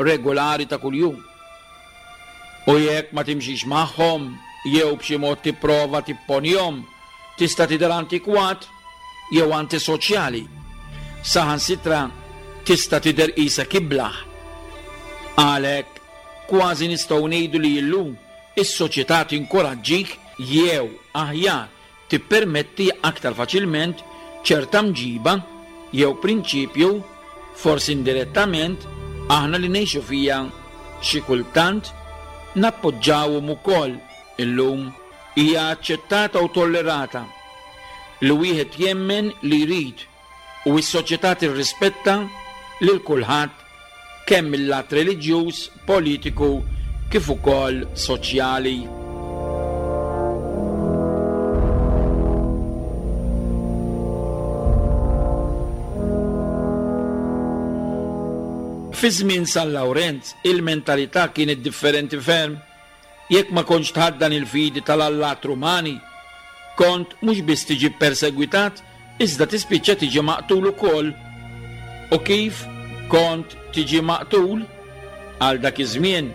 regolari ta' kuljum. U jekk ma timxix magħhom jew b'xi mod tipprova tipponihom, tista' tidher antikwat jew antisoċjali. Saħansitra tista' tidher qisek iblah. Għalhekk, kważi nistgħu ngħidu li llum is-soċjetà tinkoraġġik jew, aħjar, tippermetti aktar faċilment ċerta mġiba jew prinċipju, forsi indirettament, aħna li ngħixu fiha xi kultant nappoġġawhom ukoll illum. Hija aċċettata u tollerata li wieħed jemmen li jrid u s-soċjetà tirrispetta lil kulħadd kemm mil-lat reliġjuż, politiku kif ukoll soċjali. Fi żmien San Lawrenz il-mentalità kienet differenti ferm. Jekk ma kontx tħaddan il-fidi tal-allat Rumani, kont mhux biss tiġi ppersegwitat iżda tispiċċa tiġi maqtul ukoll. U kif kont tiġi maqtul? Għal dak iż-żmien,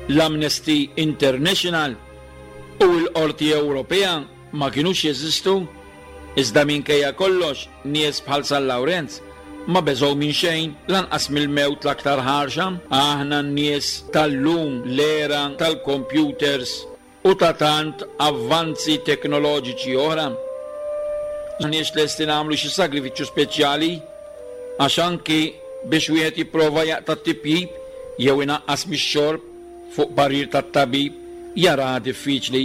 l-Amnesty International u l-Qorti Ewropea ma kinux jeżistu, iżda minkejja kollox nies bħal San Lawrenz ma beżgħu minn xejn, lanqas mill-mewt l-aktar ħarxa. Aħna n-nies tal-lum, l-era tal-kompjuters u ta' tant avvanzi teknoloġiċi oħra, m'aħniex lesti nagħmlu xi sagrifiċċju speċjali għax anki biex wieħed jipprova jaqta' t-tipjip jew inaqqas mix-xorb fuq parir tat-tabib jaraha diffiċli.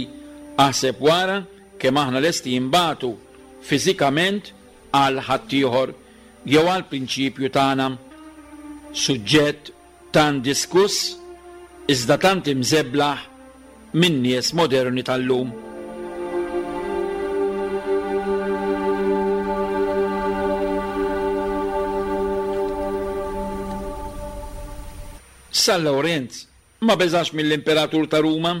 Aħseb wara kemm aħna lesti inbatu fiżikament għal ħaddieħor jew għall-prinċipju tagħna. Suġġett tant diskuss iżda tant imżeblaħ min-nies moderni tal-lum. San Lawrenz ma beżax mill-Imperatur ta' Ruma,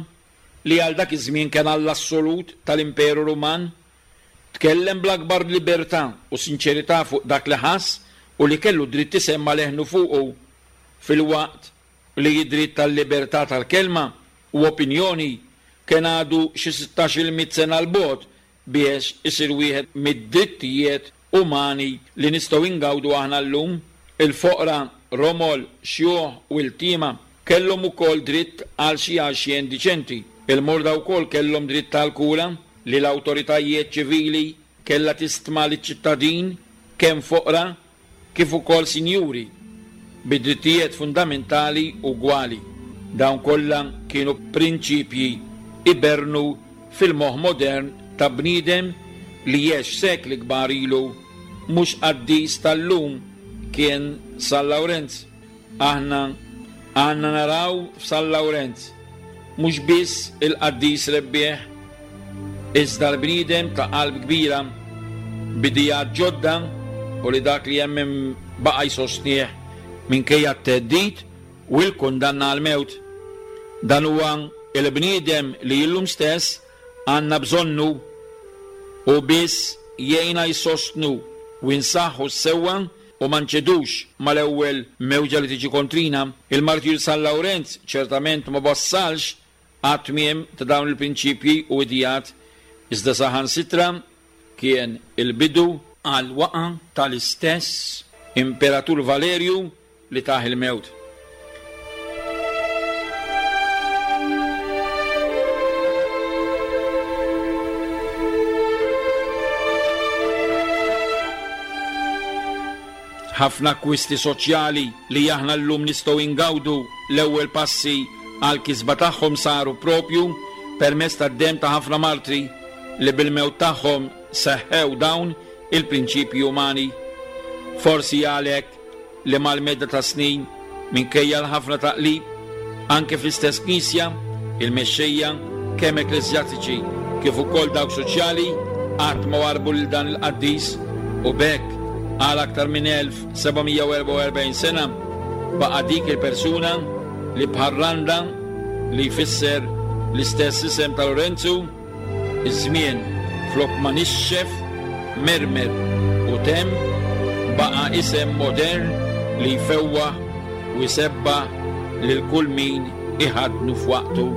li għal dak iż-żmien kien alla assolut tal-Imperu Ruman. Tkellem bl-akbar libertà u sinċerità fuq dak li ħass u li kellu dritt isemma' leħnu fuqu, filwaqt li d-dritt għal-libertà tal-kelma u opinjoni kien għadu xi sittax-il mitt sena 'l bogħod biex isir wieħed mid-drittijiet umani li nistgħu ingawdu aħna llum. Il-foqra, romol, xjuħ u iltiema kellhom ukoll dritt għal xi għajxien diċenti. Il-morda wkoll kellhom dritt għall-kura li l-awtoritajiet ċivili kellha tistma liċ-ċittadin kemm foqra kif ukoll sinjuri, bi drittijiet fundamentali ugwali. Dawn kollha kienu prinċipji iberrnu fil-moħħ modern ta' bniedem li għex sekli kbar ilu, mhux qaddis tal-lum kien San Lawrenz. Aħna għandna naraw f'San Lawrenz mhux biss il-qaddis rebbieħ, iżda l-bniedem ta' qalb kbira, b'ideat ġodda u li dak li jemmen baqa' jsostnih minkejja t-theddid u l-kundanna għall-mewt. Dan huwa l-bniedem li illum stess għandna bżonnu. Hu biss jgħinna jsostnu u nsaħħu s-sewwa u ma nċedux mal-ewwel mewġa li tiġi kontrina. Il-Martjur San Lawrenz ċertament ma wassalx għat-tmiem ta' dawn il-prinċipji u ideat, iżda saħansitra kien il-bidu għall-waqgħa tal-istess Imperatur Valerju li tah il-mewt. Ħafna akkwisti soċjali li aħna llum nistgħu ingawdu l-ewwel passi għall-kisba tagħhom saru proprju permezz tad-demm ta' ħafna martri li bil-mewt tagħhom seħħew dawn il-prinċipji umani. Forsi għalhekk. li mal-medda tas-snin, minkejja l-ħafna taqlib, anke fl-istess Knisja, il-mexxejja, kemm ekkleżjastiċi kif ukoll dawk soċjali, qatt ma warrbu lil dan il-qaddis u b'hekk għal aktar minn 1744 sena baqa' dik il-persuna li bħal randa li jfisser l-istess isem ta' Lorenzu, Iż-żmien flok ma nixxef, mermer u temm, baqa' isem modern li jfewwaħ u jsebbaħ lil kull min iħaddnu f'waqtu.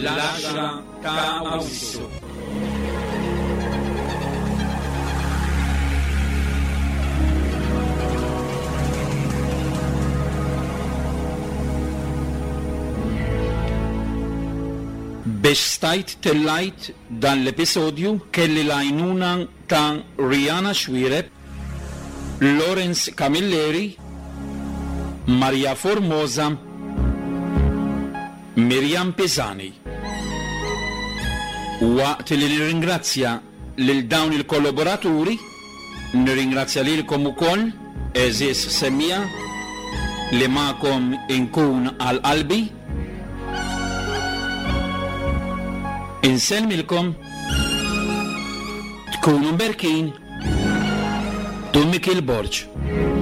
L-għaxra ta' Awwissu. Biex stajt tellajt dan l-episodju kelli l-għajnuna ta' Rihanna Xuereb, Lawrence Camilleri, Maria Formosa, Miriam Pisani. Waqt li nirringrazzja lil dawn il-kollaboraturi, nirringrazzja lilkom ukoll, għeżież semmiegħa, li magħkom inkun għal qalbi. Insellmilkom, tkunu mberkin, Dun Mikiel Borg.